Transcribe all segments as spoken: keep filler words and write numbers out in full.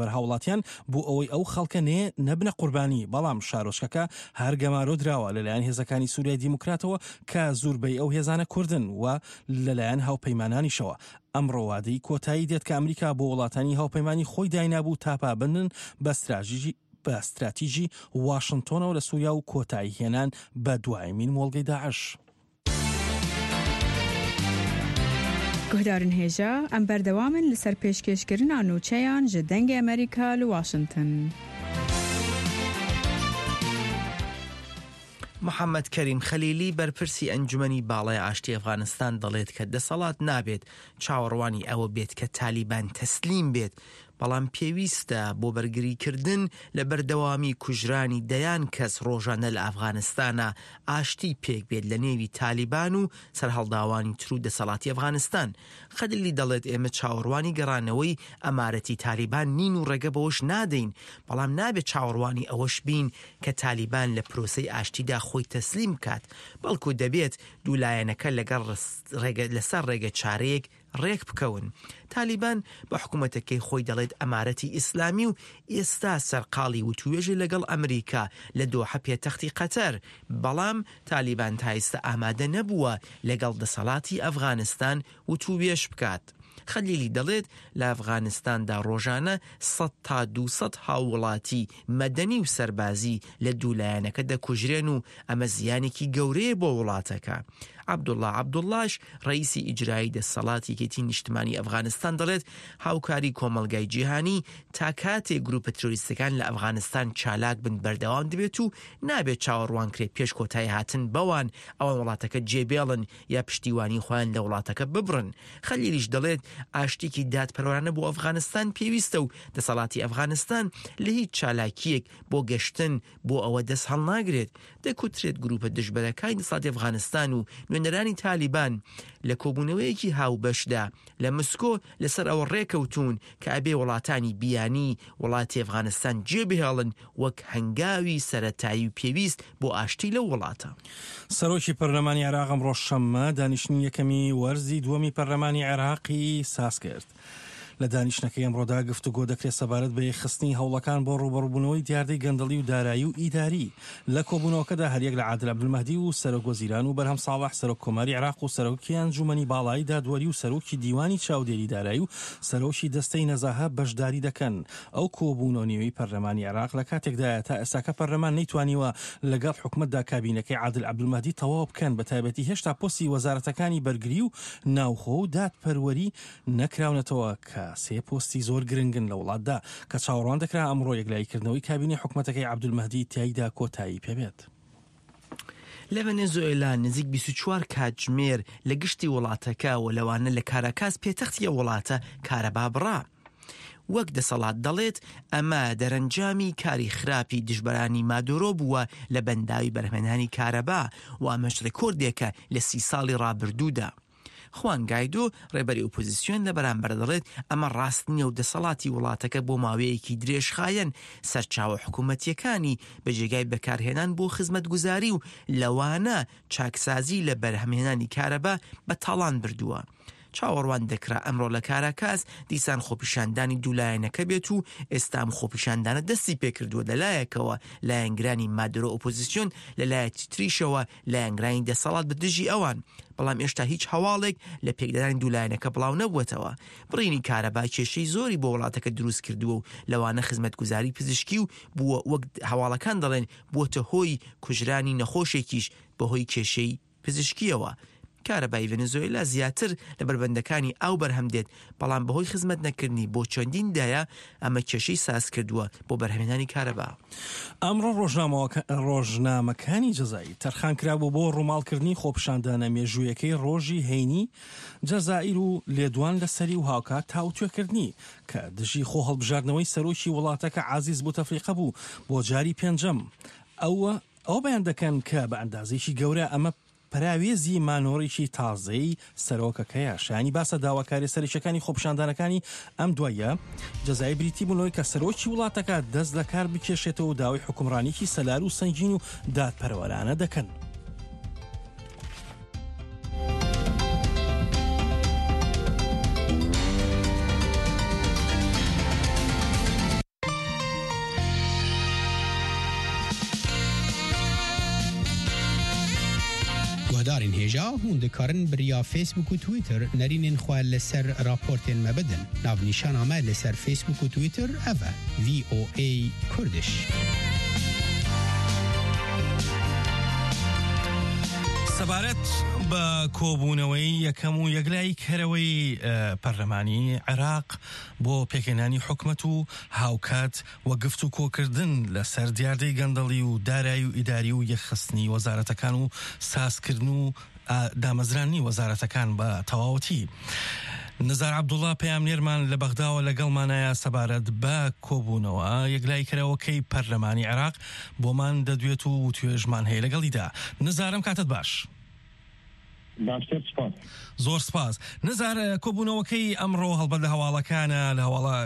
بەرهاوڵاتیان بۆ ئەوەی ئەو خەڵکە نێ نەبنە قوربانی، بەڵام شارۆچکەکە هەر گەمارۆ دراوە لەلایەن هێزەکانی سووریای دیموکراتەوە کە زۆربەی ئەو هێزانە کوردن و لەلایەن هاوپەیمانانیشەوە. ئەمڕۆ وادەی کۆتایی دێت کە ئەمریکا بۆ وڵاتانی هاوپەیمانی خۆی داینابوو تا پابندن بە استراتیژی بە استراتیژی واشنتۆنەوە لە سووریا و کۆتایی هێنان بە دوایمین مۆڵگەی داعش. Guhdarên hêja, em berdewam in li ser pêşkêşkirina nûçeyan ji Dengê Amerîka li Washington. محەممەد کەریم خەلیلی، بەرپرسی ئەنجومەنی باڵای ئاشتی ئەفغانستان، دەڵێت کە دەسەڵات نابێت چاوەڕوانی ئەوە بێت کە تالیبان تەسلیم بێت، بەڵام پێویستە بۆ بەرگریکردن لە بەردەوامی کوژرانی دەیان کەس ڕۆژانە لە ئەفغانستانە ئاشتی پێک بێت لە نێوی تالیبان و سەرهەڵداوانی تر و دەسەڵاتی ئەفغانستان. خەلیلی دەڵێت ئێمە چاوەڕوانی گەڕانەوەی ئەمارەتی تالیبان نین و ڕێگە بەوەش نادەین، بەڵام نابێت چاوەڕوانی ئەوەش بین کە تالیبان لە پرۆسەی ئاشتیدا خۆی تەسلیم بکات، بەڵکو دەبێت دوو لایەنەکە لەگەڵ ڕس-، ڕێگە-، لەسەر ڕێگە چارەیەک ڕێک بکەون. تالیبان بە حکوومەتەکەی خۆی دەڵێت ئەمارەتی ئیسلامی و ئێستا سەرقاڵی وتووێژی لەگەڵ ئەمریکا لە دۆحە پێتەختی قەتەر، بەڵام تالیبان تا ئێستا ئامادە نەبووە لەگەڵ دەسەڵاتی ئەفغانستان وتووێژ بکات. خەلیلی دەڵێت لە ئەفغانستاندا ڕۆژانە سەد تا دوو سەد هاووڵاتی مەدەنی و سەربازی لە دوو لایەنەکە دەکوژرێن و ئەمە زیانێکی گەورەیە بۆ وڵاتەکە. عەبدوڵڵا عەبدوڵڵاش، ڕئیسی ئیجرایی دەسەڵاتی یەکێتی نیشتمانی ئەفغانستان، دەڵێت هاوکاری کۆمەڵگای جیهانی تا کاتێ گروپە ترۆریستەکان لە ئەفغانستان چالاک بن بەردەوام دەبێت و نابێت چاوەڕوان کرێت پێش کۆتایی هاتن بەوان ئەوان وڵاتەکە جێبێڵن یا پشتیوانی خۆیان لە وڵاتەکە ببڕن. خەلیلیش دەڵێت ئاشتێکی دادپەروەرانە بۆ ئەفغانستان پێویستە و دەسەڵاتی ئەفغانستان لە هیچ چالاکیەک بۆ گەشتن بۆ ئەوە دەست هەڵناگرێت. دەکوترێت گروپە دژبەرەکانی دەسەڵاتی ئەفغانستان و نوێنەرانی تالیبان لە کۆبوونەوەیەکی هاوبەشدا لە مسکۆ لەسەر ئەوە ڕێکەوتون کە ئەبێ وڵاتانی بیانی وڵاتی ئەفغانستان جێبهێڵن وەک هەنگاوی سەرەتایی و پێویست بۆ ئاشتی لەو وڵاتە. سەرۆکی پەرلەمانی عێراق ئەمڕۆ شەممە دانیشتنی یەکەمی وەرزی دووەمی پەرلەمانی عێراقی ساز کرد. لە دانیشتنەکەی ئەمڕۆدا گفتوگۆ دەکرێت سەبارەت بە یەکخستنی هەوڵەکان بۆ ڕوبەڕووبوونەوەی دیاردەی گەندەڵی و دارایی و ئیداری. لە کۆبوونەوەکەدا هەریەک لە عادل عەبدولمەهدی و سەرۆک وەزیران و بەرهەم ساڵح، سەرۆک کۆماری عێراق و سەرۆکی ئەنجومەنی باڵای دادوەری و سەرۆکی دیوانی چاودێری دارایی و سەرۆکی دەستەی نەزاهە بەشداری دەکەن. ئەو کۆبوونەوە نێوەی پەرلەمانی عێراق لە کاتێکدایە تا ئێستاکە پەرلەمان نەیتوانیوە لەگەڵ حکومەتدا کابینەکەی عادل عەبدولمەهدی تەواو بکەن، بە تایبەتی هێشتا پۆستی وەزارەتەکانی بەرگری و ناوخۆ و دادپەروەری نەکراونەتەوە کە سێ پۆستی زۆر گرنگن لە وڵاتدا، کە چاوەڕوان دەکرا ئەمڕۆ یەکلاییکردنەوەی کابینەی حکومەتەکەی عەبدولمەهدی تیایدا کۆتایی پێبێت. لە ڤەنێزوئلا نزیک بیست و چوار کاتژمێر لە گشتی وڵاتەکە و لەوانە لە کاراکاس پێتەختی ئەو وڵاتە کارەبا بڕا. وەک دەسەڵات دەڵێت، ئەمە دەرەنجامی کاری خراپی دژبەرانی مادۆرۆ بووە لە بەنداوی بەرهەمهێنانی کارەبا و ئەمەش ڕێکۆردێکە لە سی ساڵی ڕابردوودا. خوان گایدۆ، ڕێبەری ئۆپۆزیسیۆن، لە بەرامبەر دەڵێت ئەمە ڕاست نییە و دەسەڵاتی وڵاتەکە بۆ ماوەیەکی درێژخایەن سەرچاوە حکوومەتیەکانی بە جێگای بەکارهێنان بۆ خزمەتگوزاری و لەوانە چاکسازی لە بەرهەمهێنانی کارەبا بە تاڵان بردووە. چاوەڕوان دەکرا ئەمڕۆ لە کاراکاس دیسان خۆپیشاندانی دوولایەنەکە بێت و ئێستا ئەم خۆپیشاندانە دەستی پێکردووە. لەلایەکەوە لایەنگرانی مادرۆ ئۆپۆزیسیۆن، لە لایەکی تریشەوە لایەنگرانی دەسەڵات بە دژی ئەوان، بەڵام ئێشتا هیچ هەواڵێک لە پێکدادانی دوولایەنەکە بڵاو نەبووەتەوە. بڕینی کارەبا کێشەی زۆری بۆ وڵاتەکە دروست کردووە و لەوانە خزمەتگوزاری پزیشکی و بووە، وەک هەواڵەکان دەڵێن، بووەتە هۆی کوژرانی نەخۆشێکیش بەهۆی کێشەی پزیشکیەوە. کارەبای ڤەنزوێلا زیاتر لە بەربەندەکانی ئاو بەرهەم دێت، بەڵام بەهۆی خزمەت نەکردنی بۆ چەندین دایە ئەمە کێشەی ساز کردووە بۆ بەرهەمهێنانی کارەبا. ئەمڕۆ ڕۆژنامەوەکە-، ڕۆژنامەکانی جەزایی تەرخان کرابوو بۆ ڕووماڵکردنی خۆپیشاندانە مێژوویەکەی ڕۆژی هەینی جەزائیر و لێدوان لەسەری و هاوکات تاوتوێکردنی کە دژی خۆ هەڵبژاردنەوەی سەرۆکی وڵاتەکە عەزیز بوتەفلیقە بوو بۆ جاری پێنجەم. ئەوە ئەو بەیان دەکەن کە بە ئەندازێکی گەورە ئەمە پەراوێزی مانۆڕێکی تازەی سەرۆکەکەیە. شایانی باسە داواکاری سەرکیەکانی خۆپیشاندانەکانی ئەم دواییە جەزای بریتی بوونەوەی کە سەرۆکی وڵاتەکە دەست لە کار بکێشێتەوە و داوای حکومڕانێکی سەلار و سەنگین و دادپەروەرانە دەکەن. Hêja, hûn dikarin bi riya Facebook û Twitter nerînên xwe li ser raportên me bidin. Navnîşana me li ser Facebook û Twitter ev e, V O A Kurdish. سەبارەت بە کۆبوونەوەی یەکەم و یەکلاییکەرەوەی، ئە، پەرلەمانی عێراق بۆ پێکهێنانی حکومەت و هاوکات و گفتوکۆکردن لەسەر دیاردەی گەندەڵی و دارایی و ئیداری و یەکخستنی وەزارەتەکان و سازکردن و، ئە، دامەزرانی وەزارەتەکان بە تەواوەتی. نزار عەبدوڵڵا پەیامنێرمان لە بەغداوە لەگەڵمانایە سەبارەت بە کۆبوونەوە یەکلاییکەرەوەکەی پەرلەمانی عێراق بۆمان دەدوێت و توێژمان هەیە لەگەڵیدا. نزارم کاتت باش. باشتر، سپاس. زۆر سپاس. نزار، کۆبوونەوەکەی ئەمڕۆ هەڵبەت لە هەواڵەکانە، لە هەواڵە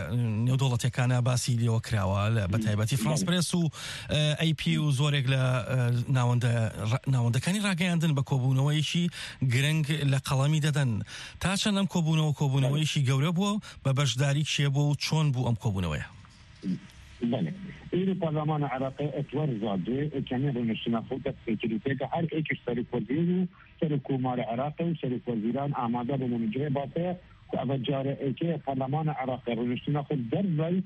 نێودەوڵەتیەکانە باسی لێوە کراوە، لە، بە تایبەتی فرانس بەڵێ. پرێس و، ئە، ئەی پی و زۆرێک لە، ئە، ناوەندە-، ڕا-، ناوەندەکانی ڕاگەیاندن بە کۆبوونەوەیەکی گرنگ لە قەڵەمی دەدەن. تا چەند ئەم کۆبوونەوە کۆبوونەوەیەکی گەورە بووە، بە بەشداری کێ بووە و چۆن بوو ئەم کۆبوونەوەیە؟ بەڵێ. ئیرۆ پەرلەمانە عێراقی ئەتوەر زادێ، ئەکەمێ ڕونشتنە خۆ دەست پێکردی تێکە هەر ئێکش سەرۆک وەزیر و سەرۆک کۆمارە عێراقی و سەرۆک وەزیران ئامادە بوون و جێ باسەیە کو ئەڤە جارە ئێکەیە پەرلەمانە عێراقی ڕونشتنە خۆ دەربەی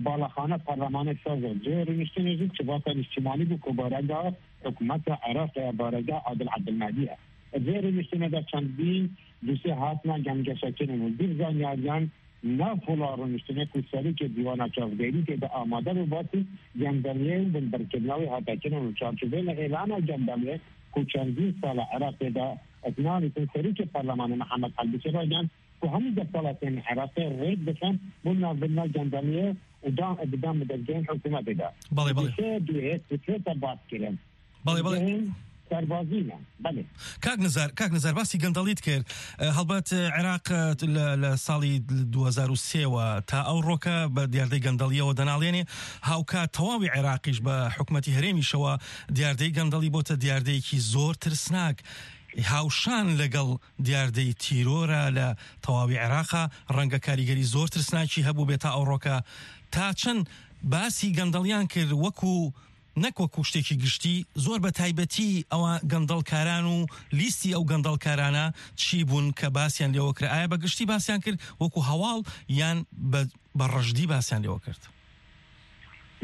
باڵەخانە پەرلەمانە سازە. جێ ڕونشتنە زود چ باسە نیشتیمانی بوو کو بارەگا حکومەتە عێراقی بارەگا عادل عەبدولمەهدیە. جێ ڕونشتنە دا چەندین دوسێ هاتنە گەنگەشەکردن و دیر زانیاریان ناو پۆلا ڕونشتنێک و سەرۆکێ دیوانە چاودێری تێدا ئامادە بوو باسی گەندەڵیە و بنبرکردنەوەی هاتەکردن و چارچوبێنە ئێلانە گەندەڵیە کو چەندین ساڵە عێراقێدا ئەتناویتن سەرۆکێ پەرلەمانە محەممەد حەلبوسی ڕایگەیاند کو هەموو دەسەڵاتێن عێراقێ ڕێک بخەن بۆ ناوبردنا گەندەڵیە و دان بدەن بە دەستگەهێن حکوومەتێدا. بەڵێ، بەڵێ. دوێ، دوێ، دوێتە باس کرێن. بەڵێ، بەڵێ. دەستگەهێن سەربازینە. بەڵێ. کاک نزار، کاک نزار، باسی گەندەڵیت کرد. ئە، هەڵبەت، ئە، عێراق، ئە، لە، لە ساڵی دوو هەزار و سێ وە تا ئەو ڕۆکە بە دیاردەی گەندەڵیەوە دەناڵێنێ. هاوکات تەواوی عێراقیش بە حکومەتی هەرێمیشەوە دیاردەی گەندەڵی بۆتە دیاردەیەکی زۆر ترسناک. هاوشان لەگەڵ دیاردەی تیرۆرە لە تەواوی عێراقا، ڕەنگە کاریگەری زۆر ترسناکی هەبوو بێ تا ئەو ڕۆکە. تا چەند باسی گەندەڵیان کرد وەکو نەک وەکو شتێکی گشتی، زۆر بە تایبەتی ئەوە گەندەڵکاران و لیستی ئەو گەندەڵکارانە چی بوون کە باسیان لێوە کرد؟ ئایا بە گشتی باسیان کرد وەکو هەواڵ یان بە، بە ڕژدی باسیان لێوە کرد؟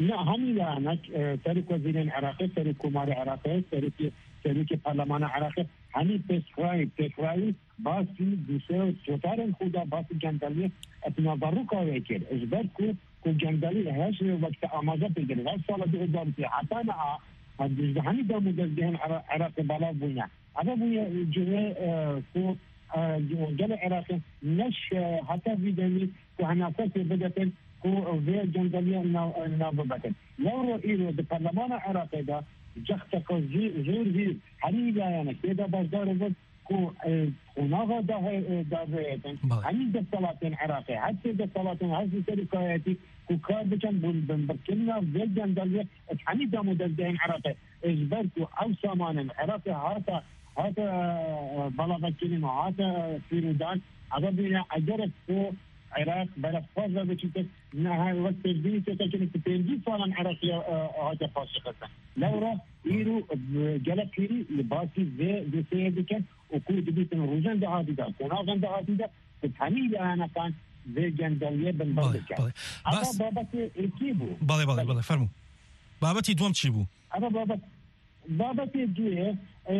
نا، هەموو لایەنەک، ئە، سەرۆک وەزیرێن عێراقی، سەرۆک کۆماری عێراقی، سەرۆکی، سەرۆکی پەرلەمانە عێراقی، هەمی پێشخرای، پێشخرای باسی دووسێ و سۆتارێن خۆدا باسی گەندەڵیە ئەتناڤەڕووکاوێ کرد. Ji ber ku, ku گەندەڵی هەش وەکتە ئاماژە پێ کرد. هەشت ساڵە دوو هەزار و سێ هەتا نەها، هەر دوژدە هەمی دام و دەزگەهێن عێرا-، عێراقی بەڵاو بووینە. ئەمە بووە جوێ، ئە، ku، ئە، gelê عێراقی نەش، ئە، هەتا vî demî ku henasesê bidetin ku vê gendeliyê nav, nav bibetin. Lewro îro di perlemana Iraqê de cexteke zû-, zor vî herî layenek tê de beşdar bûn ku, e, qonaxa dahê, e, dahê din. Belê. Hemî desthilatên Iraqê, her sê desthilatên, her sê serokayetî ku kar bikin, bûn binbirkirina vê gendeliyê, hemî dam û dezgehên Iraqê. Ji ber ku ew samanên Iraqê hate, hate, e, belavekirin û hate, e, fîrûdan, eve bûye egerek ku Iraq berefxwaz ve biçîte, ne, he, wek pêşbînî tê kirin ku pêncî salan Iraqê, e, hate paşxistin. Lewra îro, e, gelek pîrî li basî vê dosyeyê dikin û ku dibîtin rojên dahatî de, qonaxên dahatî de, ku hemî layenekan vê gendeliyê binber Belê, bikin. Belê. Eva Bas- babetê êkî bû. Belê, belê, Belê. Belê, fermû. Babetî duwem çi bû? Eva babet-, babetê duyê, e,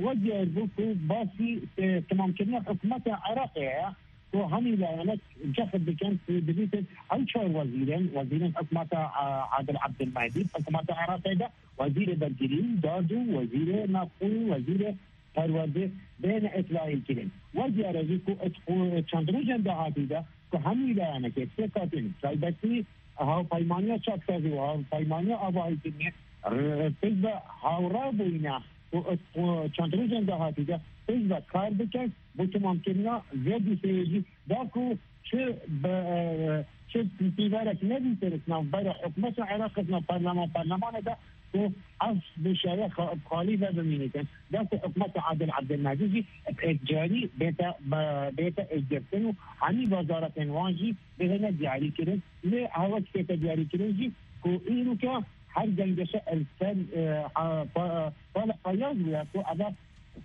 we diyar bû ku basî, e, temamkirina hikûmeta Iraqê ye, ku hemî layenek cehd bikin ku dibîtin ew çar wezîrên, wezîrên hikûmeta, e, Adil Abdulmehdi, hikûmeta Iraqê de wezîrê bergirî, dad û wezîrê navxwe, wezîrê perwerdê bêne îtlayî kirin. We diyar e jî ku it-, ku çend rojên dahatî de ku hemî layenekê sê katîn, taybetî Hawpeymaniya Çaksazî û Hawpeymaniya Avahîkirinê, r-, pişt ve hawra bûyîne ku, ku çend rojên dahatî de pişt ve kar bikin bo temamkirina vê dosyeyê jî, da ku çi bi, e, çi pîverek nebîtin navbera hikûmeta Iraqê, nav parleman, parlemanê de ku ev dosyeye xa-, xalî ve bimînîtin. Da ku hikûmeta Adil Abdulmehdi jî bi êkcarî bête, be-, bête êkgirtin û hemî wezaretên wan jî bihêne diyarîkirin. Lê hewek tête diyarîkirin jî ku îroke her gengeşe li ser, e, ha, pa-, pala payaz bûye ku eve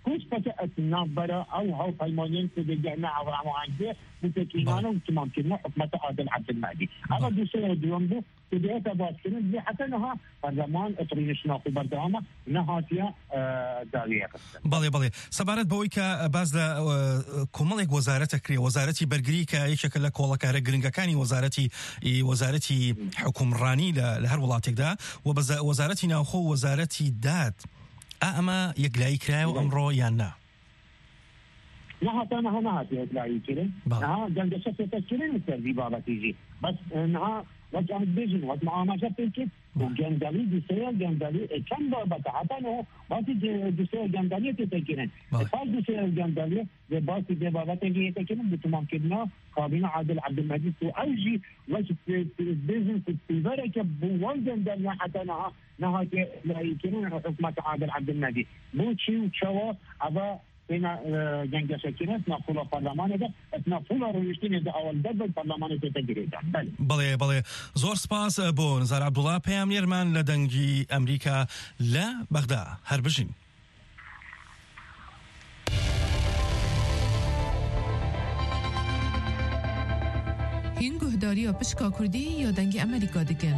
Pişteke ez navbera ew hevpeymaniyên ku digihne ew hemahengiyê û têkînane û timamkirina hikûmeta Adil Ebdilmehedî. Eva dosyeya duyem bû ku dihête baskirin, lê heta niha perleman etrînişna xwe berdewam e, nehatiye, e, dawiyê xistin. بەڵێ، بەڵێ. سەبارەت بەوەی کە باس لە، ئە، کۆمەڵێک وەزارەتە کرێ، وەزارەتی بەرگری کە یەکێکە لە کۆڵەکارە گرنگەکانی وەزارەتی، ئی، وەزارەتی حکومڕانی لە، لە هەر وڵاتێکدا، و بەزا-، وەزارەتی ناوخۆ و وەزارەتی داد. ئا ئەمە یەکلایی کرایەوە ئەمڕۆ یان نا؟ نەهاتە، نەها نەهاتە یەکلایی کرێ. بەڵێ. نەها گەنگەشە پێتە کرێ لەسەر وی بابەتی ژی. بەس، ئە، نەها وەک ئەم بێژن، وەک مە ئاماژە پێ کرد، و گەندەڵی دوسەیە گەندەڵی، ئە، چەند بابەتە. هەتا نەها باسی گە-، دوسەیە گەندەڵی پێتە کرێن. بەڵێ. ئە، پاش دوسەیە گەندەڵی، لە باسی دێ بابەتێکی یەکە کرێن، بە تمام کردنا کابینە عادل عبدالمجید و ئەو ژی وەک پێ-، پێ-، بێژن، پێ-، پێوەرێکە بۆ وەڵ گەندەڵیان هەتا نەها نەهاتیە لایەنکردن حکومەت عادل عبدالمهدی. بۆچی و چەوە ئەوە تێنا، ئە، گەنگەشەکردن، تێنا پوڵە پەرلەمانێدا، تێنا پوڵە ڕۆیشتنێدا ئەوەل دەر بەر پەرلەمانێ تێتە گرێدان. بەڵێ. بەڵێ، بەڵێ. زۆر سپاس، ئە، بۆ نزار عەبدوڵا، پەیامنێرمان لە دەنگی ئەمریکا لە بەغدا. هەر بژین. Hîn guhdariya pişka Kurdî ya Dengê Emerîka dikin.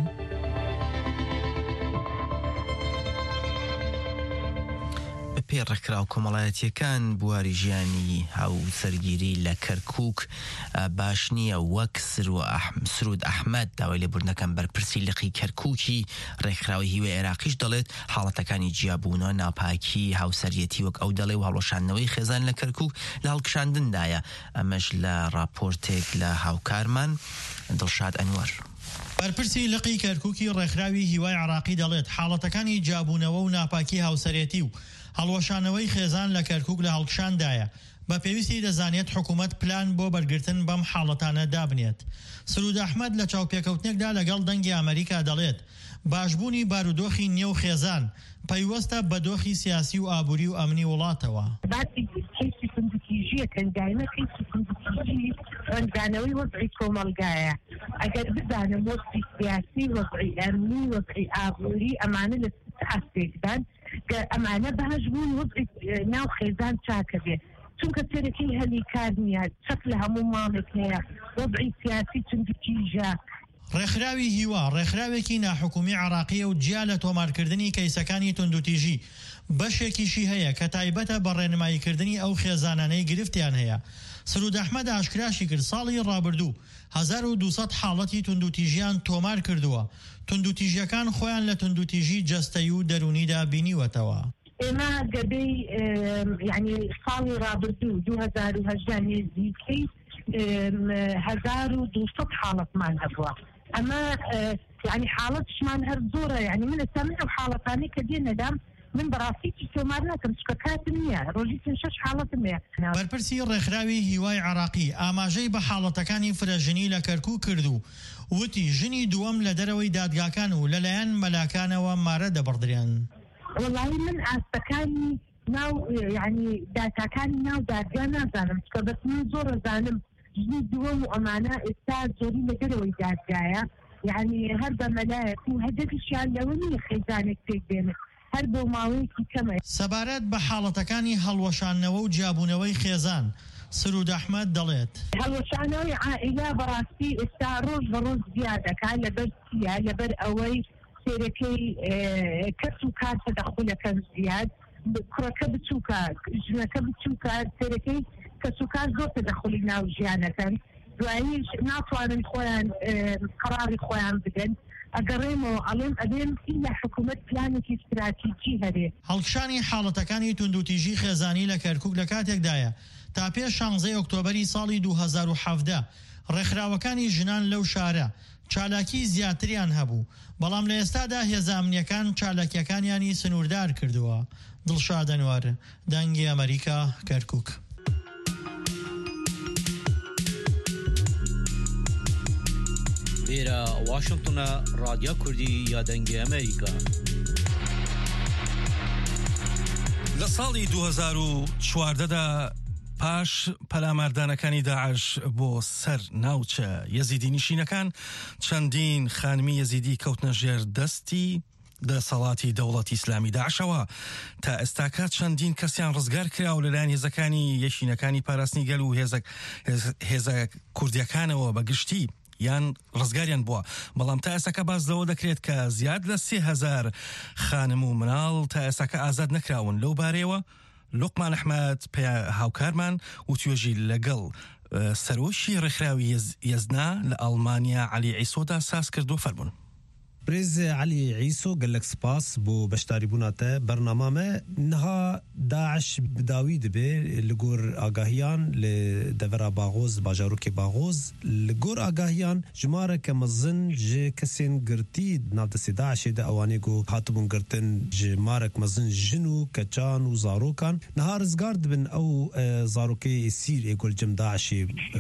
Bi pê ڕێکخراو کۆمەڵایەتیەکان بواری ژیانی هاوسەرگیری لە کەرکووک، ئە، باش نییە، وەک سرو ئەح-، سرود ئەحمەد، داوای لێبوردنەکەم بەرپرسی لقی کەرکووکی ڕێکخراوی هیوای عێراقیش دەڵێت حاڵەتەکانی جیابوونەوە، ناپاکی، هاوسەریەتی وەک ئەو دەڵێ و هەڵوەشاندنەوەی خێزان لە کەرکووک لە هەڵکشاندندایە. ئەمەش لە ڕاپۆرتێک لە هاوکارمان دڵشاد ئەنوەر. بەرپرسی لقی کەرکووکی ڕێکخراوی هیوای عێراقی دەڵێت حاڵەتەکانی جیابوونەوە و ناپاکی هاوسەرێتی و هەڵوەشانەوەی خێزان لە کەرکووک لە هەڵکشاندایە. بە پێویستی دەزانێت حکوومەت پلان بۆ بەرگرتن بەم حاڵەتانە دابنێت. سرود ئەحمەد لە چاوپێکەوتنێکدا لەگەڵ دەنگی ئەمریکا دەڵێت باشبوونی بارودۆخی نێو خێزان پەیوەستە بە دۆخی سیاسی و ئابووری و ئەمنی وڵاتەوە. باسی کەیسی توندوتیژیەکەن، دایمە کەیسی توندوتیژی ڕەنگدانەوەی وەزعی کۆمەلگایە. ئەگەر بزانم وەزعی سیاسی، وەزعی ئەمنی، وەزعی ئابووری، ئەمانە لە ئاستێکدان کە ئەمانە باش بوون، وەزعی، ئە، ناو خێزان چاکە بێ. چونکە سەرەکی هەلی کار نییە، چەک لە هەموو ماڵێک هەیە، وەزعی سیاسی توندوتیژە. ڕێکخراوی هیوا، ڕێکخراوێکی ناحکومی عێراقیە و جیا لە تۆمارکردنی کەیسەکانی توندوتیژی، بەشێکیشی هەیە کە تایبەتە بە ڕێنماییکردنی ئەو خێزانانەی گرفتیان هەیە. سرود ئەحمەد ئاشکراشی کرد ساڵی ڕابردوو هەزار و دوو سەد حاڵەتی توندوتیژیان تۆمار کردووە. توندوتیژیەکان خۆیان لە توندوتیژی جەستەیی و دەروونیدا بینیوەتەوە. ئێمە گەدەی، ئێم، یعنی ساڵی ڕابردوو، دوو هەزار و هەژدە، نێزیکەی، ئێم، هەزار و دوو سەد حاڵەتمان هەبووە. ئەمە، ئێ، یعنی حاڵەتشمان هەر زۆرە. یعنی من ئێستا من ئەو حاڵەتانەی کە دێنەدام، من بەڕاستی چی تۆمار ناکەم، چکە کاتم نییە. ڕۆژی پێنج شەش حاڵەتم هەیە. بەرپرسی ڕێکخراوی هیوای عێراقی ئاماژەی بە حاڵەتەکانی فرەژنی لە کەرکووک کرد و وتی ژنی دووەم لە دەرەوەی دادگاکان و لەلایەن مەلاکانەوە مارە دەبڕدرێن. وەڵاهی من ئاستەکانی ناو، یعنی داتاکانی ناو دادگا نازانم، چکە بەس من زۆر ئەزانم ژنی دووەم و ئەمانە ئێستا زۆری لە دەرەوەی دادگایە، یعنی هەر بە مەلایەک و هەدەفیشیان لەوە نییە خێزانێک پێک بێنن، هەر بۆ ماوەیەکی کەمە. سەبارەت بە حاڵەتەکانی هەڵوەشانەوە و جیابوونەوەی خێزان، سرود ئەحمەد دەڵێت. هەڵوەشانەوەی عائیلە بەڕاستی ئێستا ڕۆژ بە ڕۆژ زیادەکە، لەبەر چییە؟ لەبەر ئەوەی سێرەکەی، ئێ، کەس و کار تەدەخولەکەن زیاد، کوڕەکە بچووکە، ژنەکە بچووکە، سێرەکەی کەس و کار زۆر تەدەخولی ناو ژیانەکەن. دواییش ناتوانن خۆیان، ئێ، قەراغی خۆیان بدەن. ئەگەڕێمەوە ئەڵێم ئەبێم ئیلا حکوومەت پلانێکی استراتیجی هەرێ. هەڵکشانی حاڵەتەکانی توندوتیژی خێزانی لە کەرکووک لە کاتێکدایە تا پێش شانزەی ئۆکتۆبەری ساڵی دوو هەزار و حەڤدە ڕێکخراوەکانی ژنان لەو شارە چالاکی زیاتریان هەبوو، بەڵام لە ئێستادا هێزە ئەمنیەکان چالاکیەکانیانی سنووردار کردووە. دڵشاد ئەنوەر، دەنگی ئەمریکا، کەرکووک. Vêra Washingtona, Radya Kurdî ya Dengê Amerîka. لە ساڵی دوو هەزار و چواردە دا پاش پەلاماردانەکانی داعش بۆ سەر ناوچە یەزیدی نیشینەکان، چەندین خانمی یەزیدی کەوتنە ژێر دەستی دەسەڵاتی دەوڵەتی ئیسلامی داعشەوە. تا ئێستاکە چەندین کەسیان ڕزگار کرا و لەلایەن هێزەکانی یەشینەکانی پاراستنی گەل و هێزە، هێز-، هێزە کوردیەکانەوە بە گشتی یان ڕزگاریان بووە. بەڵام تا ئێستاکە باس لەوە دەکرێت کە زیاد لە سێ هەزار خانم و مناڵ تا ئێستاکە ئازاد نەکراون. لەو بارەیەوە لوقمان ئەحمەد پێ-، هاوکارمان و توێژی لەگەڵ، ئە، سەرۆکی ڕێکخراوی یەز-، یەزنا لە ئەڵمانیا عەلی عیسۆدا ساز کردو فەرموون. برێز عەلی عیسۆ، gelek spas bo beşdarîbûna te bernama me. Niha DAIŞ bi dawî dibe li gor agahiyan li devera Baxoz, bajarokê Baxoz. Li gor agahiyan jimareke mezin ji kesên girtî di nav destê DAIŞê de, ewanê ku hatibûn girtin, jimarek mezin jin û keçan û zarokan niha rizgar dibin. Ew, e, zarokê êsîr ê ku li cem DAIŞê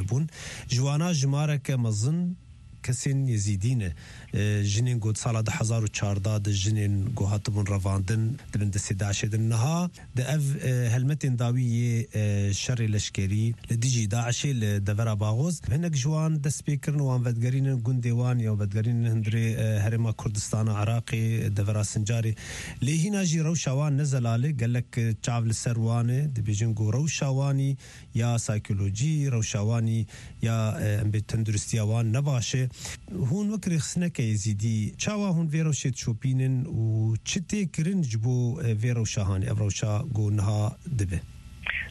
bûn. Ji wana jimareke mezin kesên Yezîdî ne. E, jinên ku di sala du hezar û çardeh de jinên ku hatibûn revandin di bin destê DAIŞê de. Niha di ev, e, helmetên dawî yê, e, şerê leşkerî li dijî DAIŞê li devera Baxoz, hinek ji wan dest pê kirin, wan vedigerînin gundê wan ya vedigerînin hundirê, e, herêma Kurdistana Iraqê, devera Sincarê. Lê hîna jî rewşa wan ne zelal e, gelek, e, çav li ser wan e, dibêjin ku rewşa wanî ya saykolojî, rewşa wanî ya, e, em bê tenduristiya wan ne baş e. Hûn wek rêxistineke Êzîdî, çawa hûn vê rewşê dişopînin û çi tê kirin ji bo, e, vê rewşa hanê, ev rewşa ku niha dibe?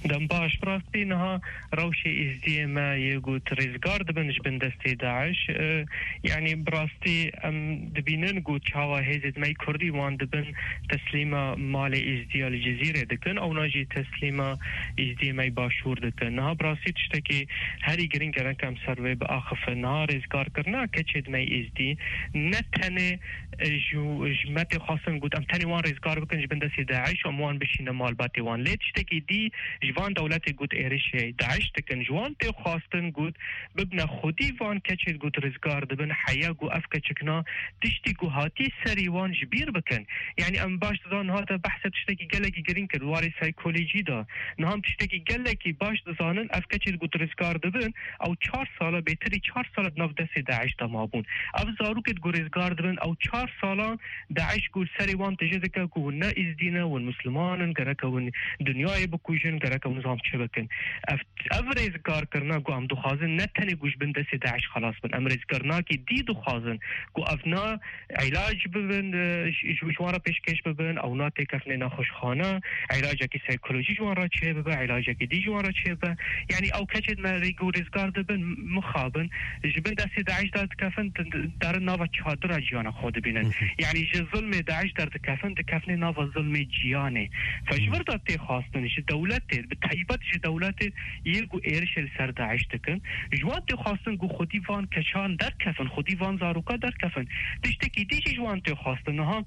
Dem baş, bi rastî niha rewşê Êzdiyê me yê ku rêzgar dibin ji bin destê DAIŞ. E, yanî bi rastî em dibînin ku çawa hêzên me yê Kurdî wan dibin teslîma malê Êzdiya li Cizîrê dikin, ewna jî teslîma Êzdiyê me yê Başûr dikin. Niha bi rastî tiştekî herî girîng gerek em ser wê biaxifin. Niha rêzgarkirina keçê me yê Êzdî ne tenê, e, ji, ji me tê xwestin got em tenê wan rêzgar bikin ji bin destê DAIŞ û em wan bişîne malbatê wan. Lê tiştekî dî ji van dewletê got êrişê DAIŞ dikin. Ji wan tê xwestin got bibne xwedî van keçê ku rêzgar dibin, heya ku ev keçikna tiştî ku hatî serî wan ji bîr bikin. Yanî em baş dizanin, niha te behsa tiştekî gelekî girîng kir, warê saykolojî de. Niha em tiştekî gelekî baş dizanin, ev keçê ku rêzgar dibin, ew çar sala, bêtirî çar sala di nav destê DAIŞ de mabûn. Ev zarokê ku rêzgar dibin, ew çar sala DAIŞ ku li serê wan tije dike ku hûn ne Êzdî ne, hûn Misliman in, gereke hûn dinyayê bikujin, gereke hûn nizam çi bikin. Ev Ev rêzgarkirina ku em dixwazin ne tenê ku ji bin destê DAIŞ xelas bin. Em rêzkirinakî dî dixwazin ku ev na îlac bibin, e, ji, ji, ji wan re pêşkêş bibin, ew na têkefnê nexweşxane, îlacekî saykolojî ji wan re çêbibe, îlacekî dî ji wan re çêbibe. Yanî ew keçên me rê ku rêzgar dibin, mixabin, ji bin destê DAIŞ derdikefin, di-, di-, derin nava çadira jiyana xwe dibînin. Hı hı. Yanî ji zilmê DAIŞ derdikefin, dikefnê nava zilmê ciyanê. Fe ji vir de tê xwestin ji dewletê, bi taybet ji dewletê yê ku êrişê li ser DAIŞ dikin, ji wan tê xwestin ku xwedî van keçan derkefin, xwedî van zaroka derkefin. Tiştekî dî jî ji wan tê xwestin. Niha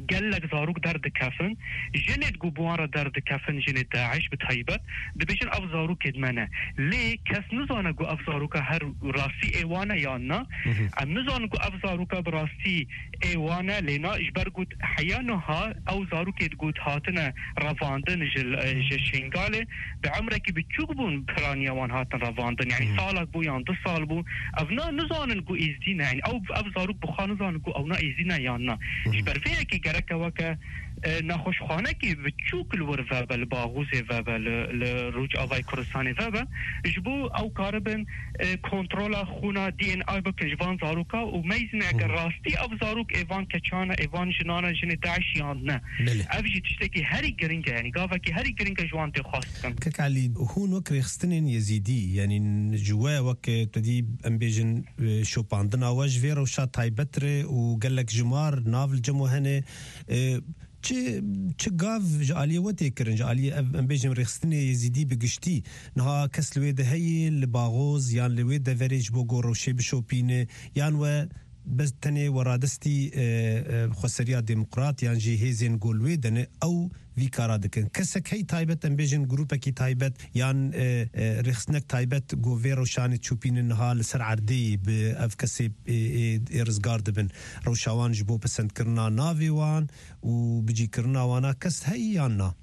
gelek zarok derdikefin, jinê ku bi wan re derdikefin, jinê DAIŞ bi taybet, dibêjin ev zarokê me ne. Lê kes nizane ku ev zaroka her rastî ê wan e yan na. Hı hı. Em nizanin ku ev zaroka bi rastî ê wan e, lê na ji ber ku heya niha ew zarokê ku hatine revandin ji, ji Şingalê, bi emrekî biçûk bûn, piraniya wan hatin revandin. Yanî Hmm. salek bû yan du sal bû. Ev na nizanin ku êzdî ne. Yanî ew, ev zarok bi xwe nizanin ku ew na êzdî ne yan na. Hmm. Ji ber vê yekê gereke weke, e, nexweşxanekî biçûk li wir vebe, li Baxûzê vebe, li, li Rojavayê Kurdistanê vebe. Ji bo ew karibin, e, kontrola xûna D N A bikin ji van zaroka û meyzin eger Hmm. rastî ev zarok ê van keçan e, ê van jinan e, jinê DAIŞ yan ne. Belê. Ev jî tiştekî herî giring e, yanî gavekî herî giring e ji wan tê xwestin. Kek Elî, hûn wek rêxistinên Yezîdî, yanî ji we wek, e, tu dî em bêjin, e, şopandina we ji vê rewşa taybet re û gelek jimar nav li cem we hene, e, çi, çi gav ji aliyê we tê kirin, ji aliyê ev, em bêjin rêxistinê Yezîdî bi giştî? Niha kes li wê de heye, li Baxoz yan li wê deverê ji bo ku rewşê bişopîne, yan we bes tenê weradestî, e, e, xweseriya demokrat yan jî hêzên ku li wê de ne, ew vî kara dikin? Kesek hey taybet, em bêjin grûpekî taybet yan, e, e, rêxistinek taybet ku vê rewşanê çûpînin niha li ser erdê yî bi ev kesê, e, e, ê rizgar dibin. Rewşa wan ji bo pesendkirina navê wan û bicîkirina wana kes hey yan na?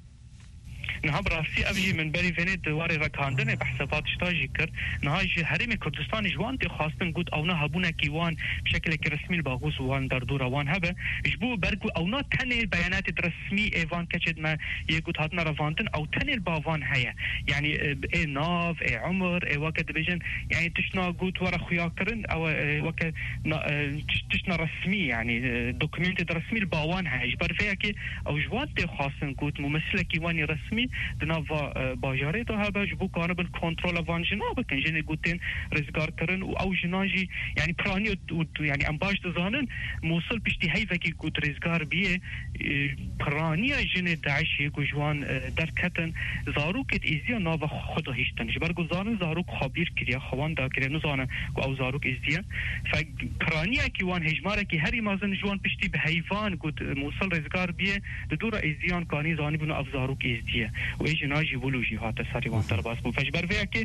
Niha bi rastî ev jî min berî venê di warê ragihandinê behsa va tişta jî kir. Niha ji Herêmê Kurdistanê ji wan tê xwastin got ewna hebûnekî wan bi şekilekî resmî li baxûz wan derdora wan hebe. Ji bo ber ku ewna tenê beyanatê di resmî ê van keçê di me yê got hatine revandin, ew tenê li ba van heye. Yanî, e, ê nav, ê umir, ê weke dibêjin, yanî tiştna got were xuyakirin, ew, e, weke na-, e, tiş-, tiştna resmî, yanî, e, dokumentê di resmî li ba wan heye. Ji ber vê yekê ew ji wan tê xwastin got mumessilekî wan ê resmî di nav va, e, bajarê de hebe, ji bo kanibin kontrola van jina bikin. Jinê got tên rizgar kirin û ew jinan jî, yanî piraniya û, û, yanî em baş dizanin, Mûsil piştî heyvekî ku di rizgar biyê, e, piraniya jinê DAIŞê ku ji wan, e, derketin, zarokê di êzdiya nava xwe de hiştin. Ji ber ku zanin zarok xwe bîr kiriye, xwe wan dakiriye, nizane ku ew zarok êzdiye. Fe piraniyekî wan hêjmarekî herî mezin ji wan piştî bi heyvan ku di Mûsil rizgar biyê, di dora êzdiyan kanî zanîbûn ev zarok êzdiye. Û ê jina jî wilo jî hate serî wan derbas bû. Fe ji ber vê yekê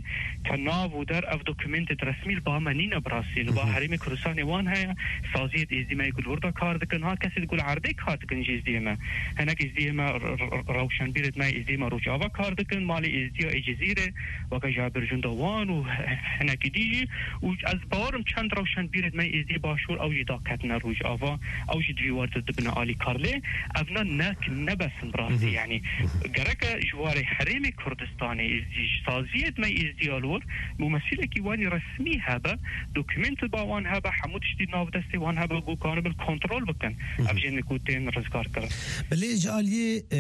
ke nav û der ev dokumentê di resmî li ba me nîne bi rastî. Li ba Herêmê Kurdistanê wan heye, saziyê di êzdî me yê ku li wir de kar dikin, ha kesê di ku li erdê kar dikin ji êzdiyê me. Hinek êzdiyê me, r-, r-, rewşenbîrê me êzdiyê me Rojava kar dikin, malê êzdiya ê Cizîrê, weke Jabir Cunda wan û hinekî dî jî. Û ez bawer im çend rewşenbîrê me êzdiyê Başûr ew jî daketine Rojava, ew jî di vî war de dibine alîkar. Lê evna ne, ne bes in bi rastî, yanî gereke ji warê Herêmê Kurdistanê êzdî, ji saziyê me êzdî ya li wir, mumesîlekî wan ê resmî hebe, dokumentê ba wan hebe, hemû tiştî nav destê wan hebe, ku kanibin kontrol bikin. Ev jinê ku tên rizgar kirin. Belê ji aliyê, e,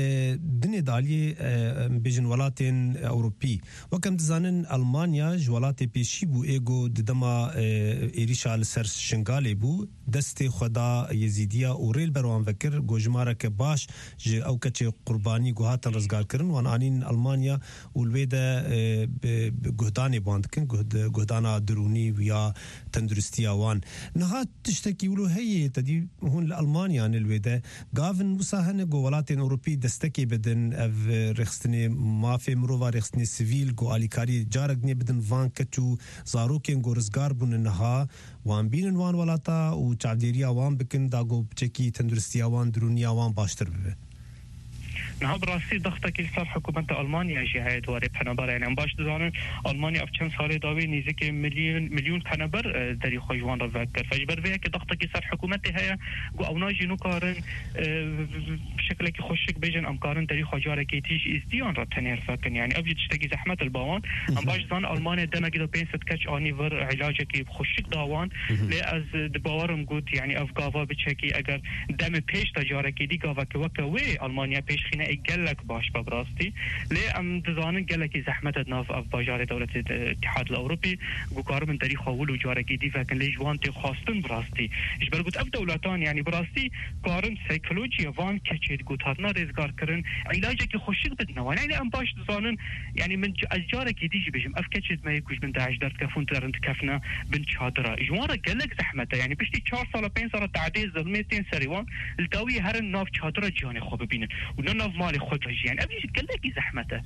dinê di aliyê, e, em bêjin welatên Ewropî. Wek em dizanin, Almanya ji welatê pêşî bû ê ku di dema, e, êrîşa li ser Şingalê bû, destê xwe da Yezîdiya û rê li ber wan vekir, ku jimareke baş ji ew keçê qurbanî ku hatin rizgarkirin, wan anîn Almanya û li wê de, e, bi, bi guhdanê bi wan dikin, guhd-, guhdana dirûnî û ya tenduristiya wan. Niha tiştekî wilo heye, te dî hûn li Almanya ne li wê de. Gavin wisa hene ku welatên Ewropî destekê bidin, ev, e, rêxistinê mafê mirova, rêxistinê sivîl ku alîkariyê carek dinê bidin van keç û zarokên ku rizgar bûne niha, wan bînin wan welata û çavdêriya wan bikin, da ku piçekî tenduristiya wan, dirûniya wan baştir bibe. Niha bi rastî dextekî li ser hikûmeta Almanya jî heye di warê penaberan. Yanî em baş dizanin, Almanya ev çend salê dawî nêzîkê milyon, milyon penaber, e, derî xwe ji wan re vekir. Fe ji ber vê yekê dextekî ser hikûmetê heye ku ewna jî nikarin, e, bi şekilekî xweşik bêjin, em karin derî xwe carekê tî ji êzdiyan re tenêr vekin. Yanî ev jî tiştekî zehmet li ba wan. Em baş dizanin, Almanya demekî de pênc sed keç anî vir, îlacekî xweşik da wan. Lê ez, e, di bawer im got, yanî ev gava biçekî, eger demê pêş de carekê dî gaveke weke wê Almanya pêşxîne ê gelek baş be bi rastî. Lê em dizanin gelekî zehmet e di nav ev bajarê dewletê de Îtihad li Ewropî ku karibin derî xwe wilo carekê dî vekin, lê ji wan tê xwastin bi rastî. Ji ber got ev dewletan, yanî bi rastî karin psîkolojiya van keçê di ku hatine rêzgar kirin, îlacekî xweşik bidine wan. Yanî em baş dizanin, yanî min c-, ez carekê dî jî bêjim, ev keçê di me yê ku ji bin DAIŞ derdikefin, derin dikefine bin çadira. Ji wan re gelek zehmet e. Yanî piştî çar sala, pênc sala tehdê, zilmê tên serê wan, li dawiyê herin nav çadira ciyanê xwe bibînin û ne nav malê xwe de jî. Yanî ev jî gelekî zehmet e.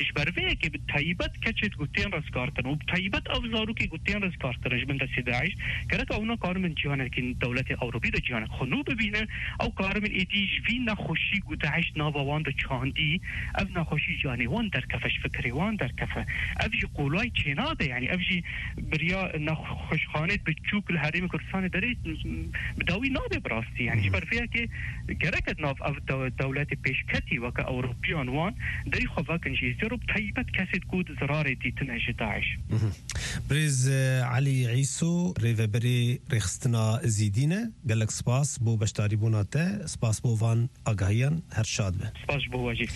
Ji ber vê yekê bi taybet keçê ku tên rizgarkirin û bi taybet ev zarokê ku tên rizgarkirin ji bin destê DAIŞ, gerek ew nikarin bin ciyanekî dewletê Ewropî de ciyanek xwe nû bibînin. Ew karibin êdî ji vî nexweşî ku DAIŞ nava wan de çandî, ev nexweşî ji canê wan derkefe, ji fikirê wan derkefe. Ev jî qolay çênabe, yanî ev jî biriya nexweşxanê biçûk li Herêmê Kurdistanê derê bi dawî nabe bi rastî. Yanî ji ber vê yekê gerek e di nav ev dew-, dewletê pêşketî weke Ewropiyan wan derî xwe vekin ji êzdiyê re, bi taybet kesê ku di zirarê dîtine ji DAIŞ. Birêz, e, Elî Îso, rêveberê Rêxistina Zîdî ne. Gelek spas bo beşdarîbûna te, spas bo van agahiyan, her şad be. Spas ji bo we jî.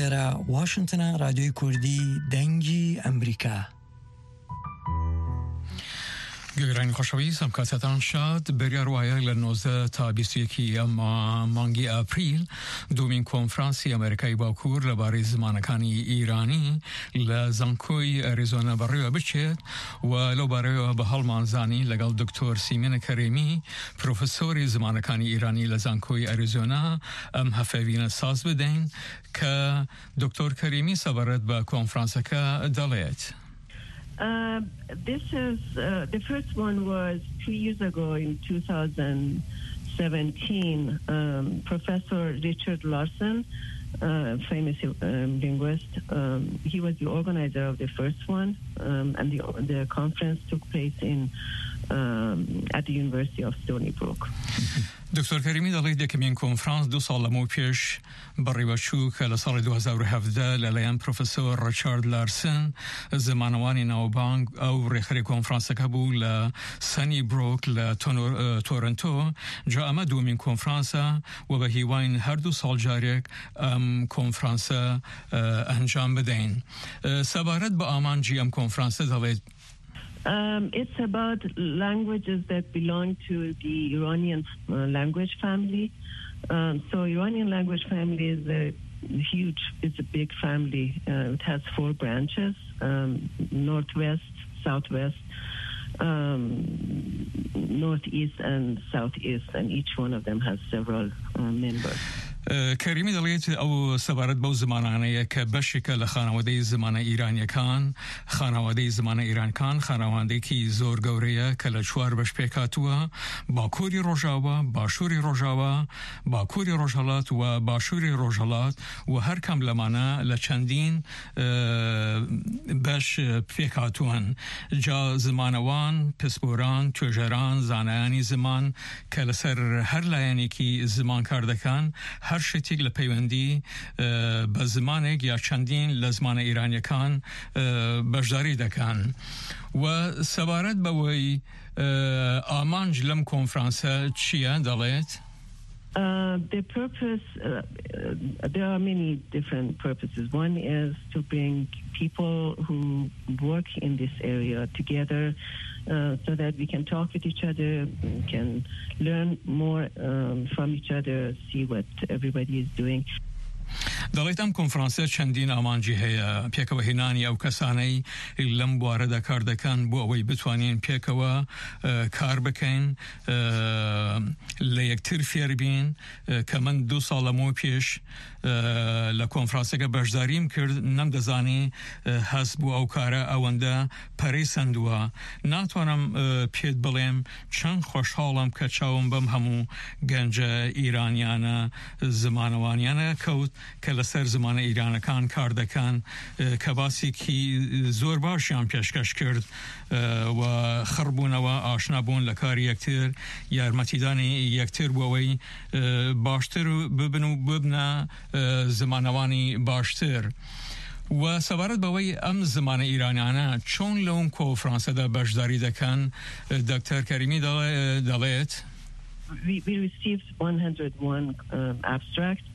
Êre Washington e, Radyoyê Kurdî, Dengî Emerîka. گوێگرانی خۆشەویست، ئەم کاتتان شاد. بڕیار وایە لە نۆزدە تا بیست و یەکی ئەم مانگی ئاپریل دوومین کۆنفرانسی ئەمریکای باکوور لەبارەی زمانەکانی ئیرانی لە زانکۆی ئەریزۆنا بەڕێوە بچێت و لەو بارەوە بە هەڵمانزانی لەگەڵ دکتۆر سیمینە کەرێمی، پرۆفسۆری زمانەکانی ئیرانی لە زانکۆی ئەریزۆنا، ئەم هەفەوینە ساز بدەین کە دکتۆر کەریمی سەبارەت بە کۆنفرانسەکە دەڵێت. Uh, this is uh, the first one was three years ago in two thousand. seventeen, um, Professor Richard Larson, uh, famous um, linguist, um, he was the organizer of the first one, um, and the, the conference took place in um, at the University of Stony Brook. دکتۆر کەریمی دەڵێت یەکەمین کۆنفرانس دوو ساڵ لەمەو پێش بەڕێوەچوو کە لە ساڵی دوو هەزار و هەڤدە لەلایەن پرۆفسۆر ڕیچارد لارسن، زمانەوانی ناوبانگ، ئەو ڕێکخەری کۆنفرانسەکە بوو لە سەنی برۆک لە تۆنۆ-، ئە، تۆرنتۆ. جا ئەمە دووەمین کۆنفرانسە و بە هیواین هەردوو ساڵ جارێک ئەم کۆنفرانسە، ئە، ئەنجام بدەین. ئە، سەبارەت بە ئامانجی ئەم کۆنفرانسە دەڵێت. Um, it's about languages that belong to the Iranian uh, language family. Um, so Iranian language family is a huge, it's a big family. Uh, it has four branches: um, northwest, southwest, um, northeast, and southeast, and each one of them has several uh, members. ئە، کەریمی دەڵێت ئەو سەبارەت بەو زمانانەیە کە بەشێکە لە خانەوادەی زمانە ئیرانیەکان. خانەوادەی زمانە ئیرانیەکان خانەوادەیەکی زۆر گەورەیە کە لە چوار بەش پێکهاتووە: باکووری ڕۆژاوا، باشووری ڕۆژاوا، باکووری ڕۆژهەڵات و باشووری ڕۆژهەڵات، و هەر کام لەمانە لە چەندین، ئە، بەش پێکهاتووەن. جا زمانەوان، پسپۆران، توێژەران، زانایانی زمان کە لەسەر هەر لایەنێکی زمان کار دەکەن، هەر شتێک لە پەیوەندی، ئە، بە زمانێک یا چەندین لە زمانە ئیرانیەکان، ئە، بەشداری دەکەن. و سەبارەت بەوەی، ئە، ئامانج لەم کۆنفرانسە چییە، دەڵێت. Uh, the purpose, uh, uh, there are many different purposes. One is to bring people who work in this area together uh, so that we can talk with each other, we can learn more um, from each other, see what everybody is doing. دەڵێت ئەم کۆنفرانسە چەندین ئامانجی هەیە: پێکەوە هێنانی ئەو کەسانەی لەم بوارەدا کار دەکەن بۆ ئەوەی بتوانین پێکەوە، ئە، کار بکەین، ئە، لە یەکتر فێر بین، ئە، کە من دوو ساڵ لەمەو پێش، ئە، لە کۆنفرانسەکە بەشداریم کرد، نەمدەزانی، ئە، هەست بۆ ئەو کارە ئەوەندە پەرەی سەندووە. ناتوانم، ئە، پێت بڵێم چەند خۆشحاڵم کە چاوم بەم هەموو گەنجە ئیرانیانە زمانەوانیانە کەوت کە لەسەر زمانە ئیرانەکان کار دەکەن، ئە، کە باسێکی زۆر باشیان پێشکەش کرد، ئە، و خڕبوونەوە، ئاشنا بوون لە کاری یەکتر، یارمەتیدانی یەکتر بۆ ئەوەی، ئە، باشتر ببن و ببنە، ئە، زمانەوانی باشتر. و سەبارەت بەوەی ئەم زمانە ئیرانیانە چۆن لەو کۆنفرانسەدا بەشداری دەکەن، دکتۆر کەریمی دەڵێ-، دەڵێت. We, we received one hundred one um, abstracts,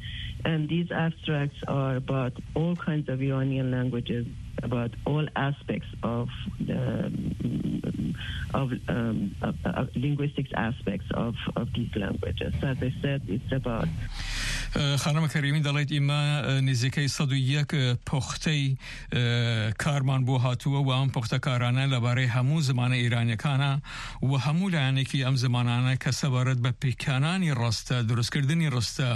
and these abstracts are about all kinds of Iranian languages, about all aspects of the of, um, of, of linguistics aspects of, of these languages. So as I said, it's about ئە، خانمە کەریمی دەڵێت ئیمە، ئە، نزیکەی سەد و یەک، ئە، پوختەی، ئە، کارمان بۆ هاتووە و ئەم پوختەکارانە لەبارەی هەموو زمانە ئیرانیەکانە و هەموو لایەنێکی ئەم زمانانە کە سەبارەت بە پیکانانی ڕستە، دروستکردنی ڕستە،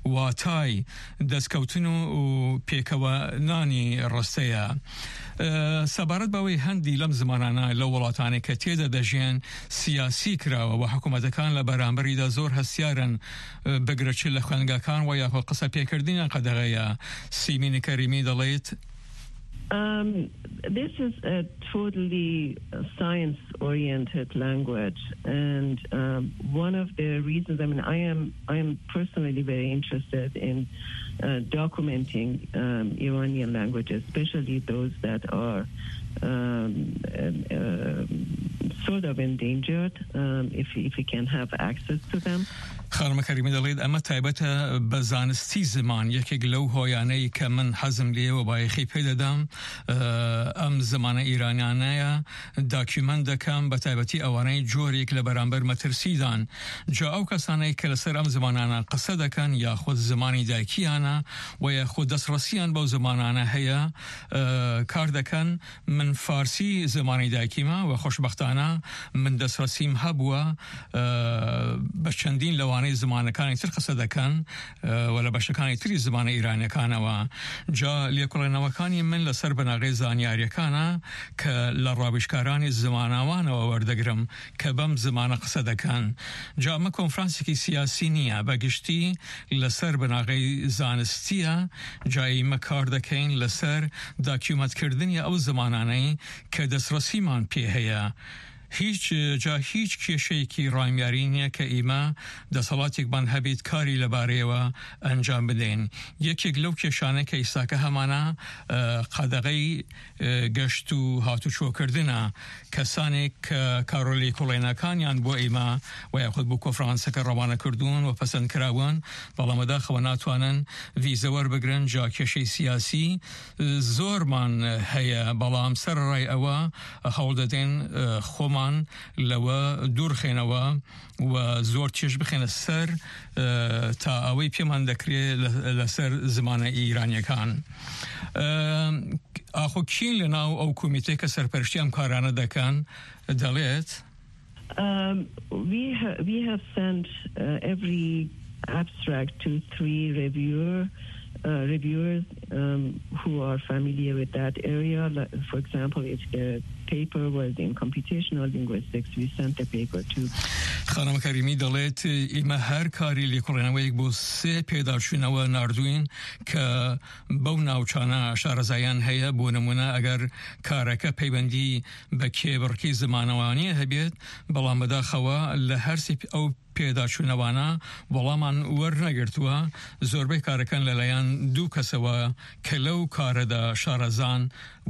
واتای، دەستکەوتن و، و پێکەوە نانی ڕستەیە. ئە، سەبارەت بەوەی هەندی لەم زمانانە لە وڵاتانی کە تێدا دەژێن سیاسی کراوە و حکوومەتەکان لە بەرامبەریدا زۆر هەستیارن، ئە، بگرە چ لە خوێندگاکان و یاخود قسە پێکردنیان قەدەغەیە. سیمینی کەریمی دەڵێت. Um, this is a totally science-oriented language, and um, one of the reasons, I mean, I am I am personally very interested in uh, documenting um, Iranian languages, especially those that are um, um, um, sort of endangered, um, if, if we can have access to them. خانمە کەریمی دەڵێت ئەمە تایبەتە بە زانستی زمان. یەکێک لەو هۆیانەی کە من حەزم لێوە بایەخی پێدەدەم، ئە، ئەم زمانە ئیرانیانەیە داکیومەنت دەکەم، بە تایبەتی ئەوانەی جۆرێک لە بەرامبەر مەترسیدان. جا ئەو کەسانەی کە لەسەر ئەم زمانانە قسە دەکەن یاخود زمانی دایکیانە و یاخود دەستڕەسیان بەو زمانانە هەیە، ئە، کار دەکەن. من فارسی زمانی دایکیمە و خۆشبەختانە من دەستڕەسیم هەبووە، ئە، بە چەندین لەوان زمانەکانی تر قسە دەکەن، ئە، و لە بەشەکانی تری زمانە ئیرانیەکانەوە. جا لێکۆڵێنەوەکانی من لەسەر بناغەی زانیاریەکانە کە لە ڕاویژکارانی زمانەوانەوە وەردەگرم کە بەم زمانە قسە دەکەن. جا ئەمە کۆنفرانسێکی سیاسی نییە، بە گشتی لەسەر بناغەی زانستیە. جا ئیمە کار دەکەین لەسەر داکیومەتکردنی ئەو زمانانەی کە دەستڕەسیمان پێ هەیە. هیچ، جا هیچ کێشەیەکی ڕامیاری نییە کە ئیمە دەسەڵاتێکمان هەبێت کاری لەبارەیەوە ئەنجام بدەین. یەکێک لەو کێشانە کە ئیساکە هەمانە، ئە، قەدەغەی، ئە، گەشت و هاتوچۆکردنە. کەسانێک کە کارۆلی کوڵێنەکانیان بۆ ئیمە و یاخود بۆ کۆنفرانسەکە ڕەوانە کردوون و پەسەند کراون، بەڵام بەداخەوە ناتوانن ڤیزە وەربگرن. جا کێشەی سیاسی، ئە، زۆرمان هەیە، بەڵام سەرڕای ئەوە هەوڵ دەدەین، ئە، خۆمان لەوە دوورخێنەوە و زۆر چێژ بخێنە سەر، ئە، تا ئەوەی پێمان دەکرێت لە، لەسەر زمانە ئیرانیەکان. ئە، ئاخۆ کین لە ناو ئەو کۆمیتەی کە سەرپەرشتی ئەم کارانە دەکەن دەڵێت؟ Um, we ha- we have sent uh, every abstract to three reviewer uh, reviewers um, who are familiar with that area. Like, for example, if the paper was in computational linguistics, we sent the paper to خانم کەریمی دەڵێت، ئیمە هەر کاری لێکۆڵێنەوەیەک بۆ سێ پێداچوونەوە ناردوین کە بەو ناوچانە شارەزایان هەیە. بۆ نمونە، ئەگەر کارەکە پەیوەندی بە کێبڕکی زمانەوانیە هەبێت، بەڵام بەداخەوە لە هەرسی ئەو پێداچوونەوانە وەڵامان وەرنەگرتووە. زۆربەی کارەکان لەلایەن دوو کەسەوە کە لەو کارەدا شارەزان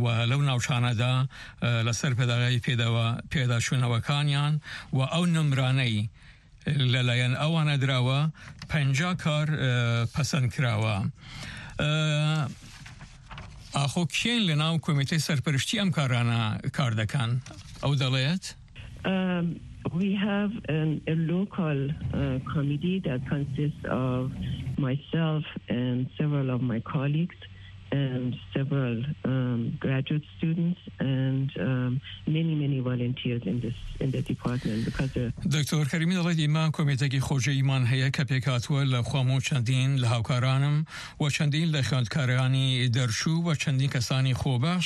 و لەو ناوچانەدا، ئە، لەسەر پێداگای پێداوە-، پێداچوونەوەکانیان و ئەو نمرانەی لەلایەن ئەوانە دراوە، پەنجا کار، ئە، پەسەند کراوە. ئە، ئاخۆ کێن لە ناو کۆمیتەی سەرپەرشتی ئەم کارانە کار دەکەن؟ ئەو دەڵێت. Um, we have an, a local uh, committee that consists of myself and several of my colleagues and several um, graduate students and um, many, many volunteers in this in the department because the دکتۆر کەریمی دەڵێت، ئیمە کۆمیتەکی خۆجێیمان هەیە کە پێکهاتووە لە خۆم و چەندین لە هاوکارانم و چەندین لە خوێندکارانی دەرچوو و چەندین کەسانی خۆبەش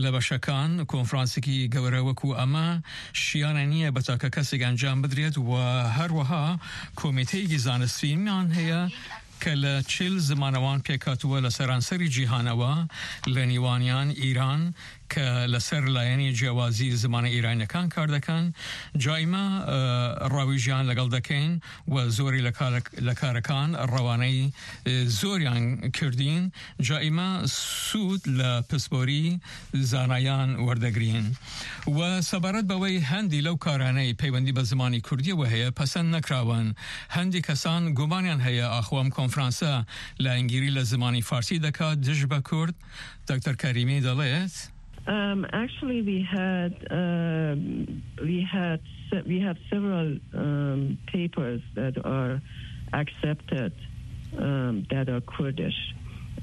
لە بەشەکان. کۆنفرانسێکی گەورە وەکو ئەمە شیانە نییە بە تاکە کەسێک ئەنجام بدرێت و هەروەها کۆمیتەیەکی زانستیمان هەیە کە لە چل زمانەوان پێکهاتووە لە سەرانسەری جیهانەوە، لە نیوانیان ئیران، کە لەسەر لایەنی جیاوازی زمانە ئیرانیەکان کار دەکەن. جا ئیمە، ئە، ڕاویژیان لەگەڵ دەکەین و زۆری لە کارەک-، لە کارەکان ڕەوانەی، ئە، زۆریان کردین. جا ئیمە سوود لە پسپۆری زانایان وەردەگرین. و سەبارەت بەوەی هەندی لەو کارانەی پەیوەندی بە زمانی کوردیەوە هەیە پەسەند نەکراون، هەندی کەسان گومانیان هەیە ئاخۆ ئەم کۆنفرانسە لایەنگیری لە زمانی فارسی دەکات دژ بە کورد. دکتۆر کەریمی دەڵێت. Um, actually, we had um, we had se- we have several um, papers that are accepted um, that are Kurdish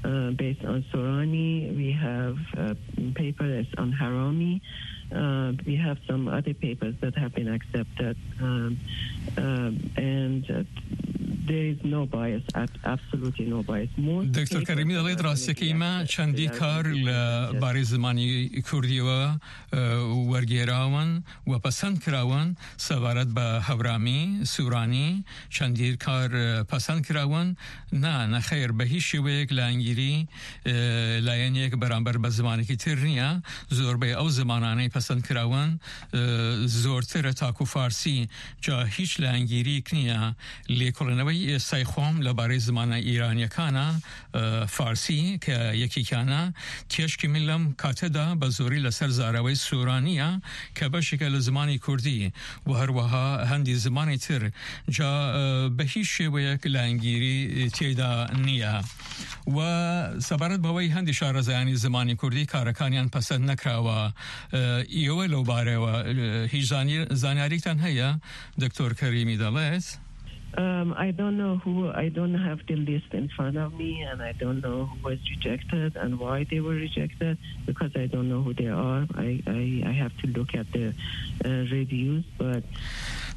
uh, based on Sorani. We have a paper that's on Harami. Uh, we have some other papers that have been accepted, um, um, and uh, there is no bias, ab- absolutely no bias. Most دکتۆر papers کەریمی that دەڵێت have been ڕاستیەکەی مە accepted, چەندی they are کار completely لە unbiased. بارەی زمانی کوردیەوە، ئە، وەرگێراون و پەسەند کراون. سەبارەت بە هەورامی، سورانی، چەندی کار، ئە، پەسەند کراون. نا، نەخێر، بە هیچ شێوەیەک لایەنگیری، ئە، لایەنێک بەرامبەر بە زمانێکی تر نییە. زۆربەی ئەو زمانانەی پەسەند کراون، ئە، زۆرترە تاکو فارسی. جا هیچ لایەنگیریک نییە. لێکۆڵینەوەی ئێستای خۆم لەبارەی زمانە ئیرانیەکانە، ئە، فارسی کە یەکێکیانە، تێشکی من لەم کاتەدا بە زۆری لەسەر زاراوەی سورانیە کە بەشێکە لە زمانی کوردی و هەروەها هەندی زمانی تر. جا، ئە، بە هیچ شێوەیەک لایەنگیری تێدا نییە. و سەبارەت بەوەی هەندی شارەزایانی زمانی کوردی کارەکانیان پەسەند نەکراوە، ئە، ئێوە لەو بارەوە، ئە، هیچ زانی- زانیاریتان هەیە؟ دکتۆر کەریمی دەڵێت. Um, I don't know who, I don't have the list in front of me, and I don't know who was rejected and why they were rejected because I don't know who they are. I, I, I have to look at the uh, reviews, but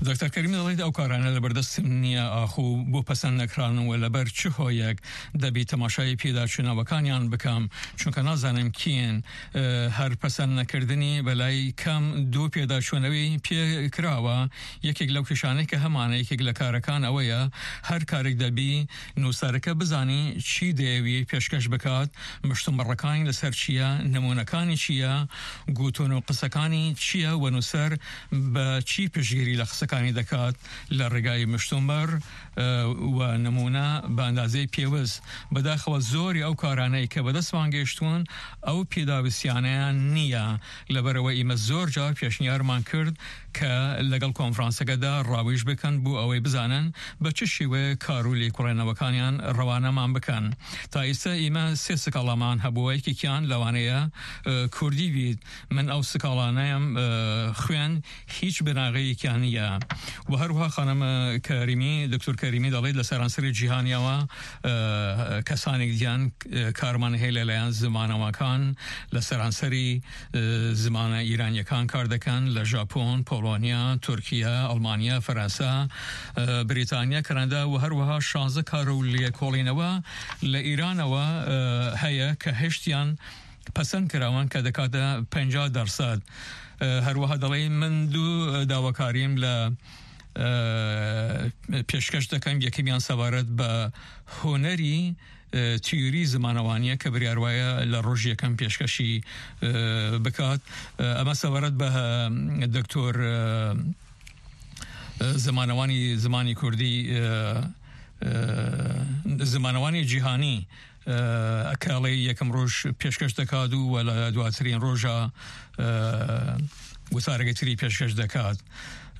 دکتۆر کەریمی دەڵێت، ئەو کارانە لەبەردەستم نییە، ئاخۆ بۆ پەسەند نەکراون و لەبەر چ هۆیەک دەبی تەماشای پێداچوونەوەکانیان بکەم، چونکە نازانم کێن. ئە، هەر پەسەند نەکردنی بەلای کەم دوو پێداچوونەوەی پێ کراوە. یەکێک لەو کێشانەی کە هەمانە، یەکێک لە کارەکان ئەوەیە، هەر کارێک دەبی نووسەرەکە بزانی چی دەیەوی پێشکەش بکات، مشتومڕەکانی لەسەر چییە، نمونەکانی چییە، گوتون و قسەکانی چییە و نووسەر بە چی پشتگیری لە قسەکانی دەکات لە ڕێگای مشتومڕ، ئە، و نمونە بە ئەندازەی پێویست. بەداخەوە زۆری ئەو کارانەی کە بەدەستمان گەیشتوون، ئەو پێداویستیانەیان نییە. لەبەرەوە ئیمە زۆر جار پێشنیارمان کرد کە لەگەڵ کۆنفرانسەکەدا ڕاویش بکەن بۆ ئەوەی بزانن بە چ شێوەیە کار و لێکۆڵێنەوەکانیان ڕەوانەمان بکەن. تا ئێستا ئیمە سێ سکاڵامان هەبووە، یەکێکیان لەوانەیە، ئە، کوردی بیت. من ئەو سکاڵانەیەم، ئە، خوێن، هیچ بناغەیەکیان نییە. و هەروەها خانم کەریمی، دکتۆر کەریمی دەڵێت لە سەرانسەری جیهانیەوە، ئە، کەسانێک دیان، ئە، کارمان هەیە لەلایەن زمانەوەکان لە سەرانسەری، ئە، زمانە ئیرانیەکان کار دەکەن، لە ژاپۆن، پۆڵۆنیا، تورکیا، ئەڵمانیا، فەرەنسا، ئە، بریتانیا، کەنەدا و هەروەها شانزە کار و لێکۆڵینەوە لە ئیرانەوە، ئە، هەیە کە هەشتیان پەسەند کراون کە دەکاتە پەنجا دەرسەد. ئە، هەروەها دەڵێ من دوو داواکاریم لە، ئە، پێشکەش دەکەم. یەکەمیان سەبارەت بە هونەری، ئە، تیوری زمانەوانیە کە بریار وایە لە ڕۆژ یەکەم پێشکەشی، ئە، بکات. ئە، ئەمە سەبارەت بە، ئە، دکتۆر، ئە، ئە، زمانەوانی زمانی کوردی، ئە، ئە، زمانەوانی جیهانی، ئە، کە ئەڵێ یەکەم ڕۆژ پێشکەش دەکات و وە لە دواترین ڕۆژە، ئە، وتارەکەی تری پێشکەش دەکات.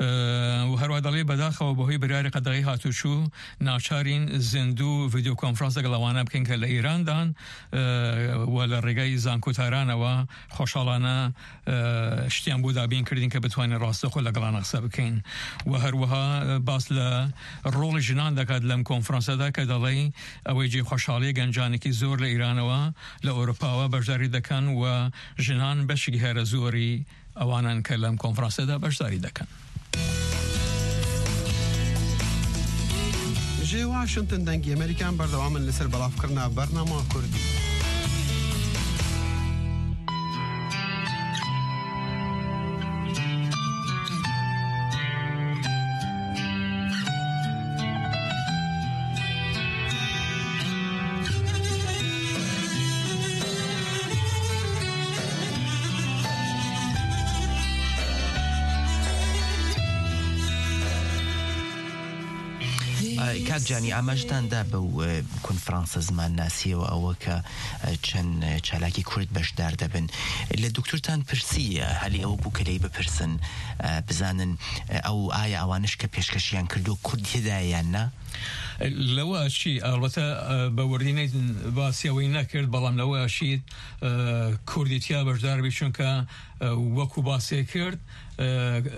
ئە، و هەروە دەڵێ بەداخەوە بەهۆی بریاری قەدەغی هاتوچوو ناچارین زیندوو ڤیدیۆ کۆنفرانس لەگەڵ ئەوانە بکەین کە لە ئیراندان، ئە، و لە ڕێگای زانکۆتارانەوە خۆشحاڵانە، ئە، شتیان بۆ دابین کردین کە بتوانین ڕاستەخۆ لەگەڵانە قسە بکەین. و هەروەها باس لە ڕۆڵی ژنان دەکات لەم کۆنفرانسەدا کە دەڵێ ئەوەی جێ خۆشحاڵی گەنجانێکی زۆر لە ئیرانەوە لە ئەوروپاوە بەشداری دەکەن و ژنان بەشێکی هەرە زۆری ئەوانن کە لەم کۆنفرانسەدا بەشداری دەکەن. Ji Washington dengê Amerîkan berdewam in li ser belavkirina bernama Kurdî. کاک جانی، ئاماژتان دا بەو، ئە، کۆنفرانسە زمانناسیەوە، ئەوە کە، ئە، چەند، ئە، چالاکی کورد بەشدار دەبن. لە دکتۆرتان پرسی، ئە، هەلی ئەوە بوو کە لێی بپرسن، ئە، بزانن، ئە، ئەو ئایا ئەوانش کە پێشکەشیان کردو کورد تێدایە یان نا؟ لەوە ئەچی، ئەلبەتە، ئە، بە وردی نەیت باسی ئەوەی نەکرد، بەڵام لەوە ئەچیت، ئە، کوردی تیا بەشدار بی، چونکە، ئە، وەکو باسێ کرد، ئە،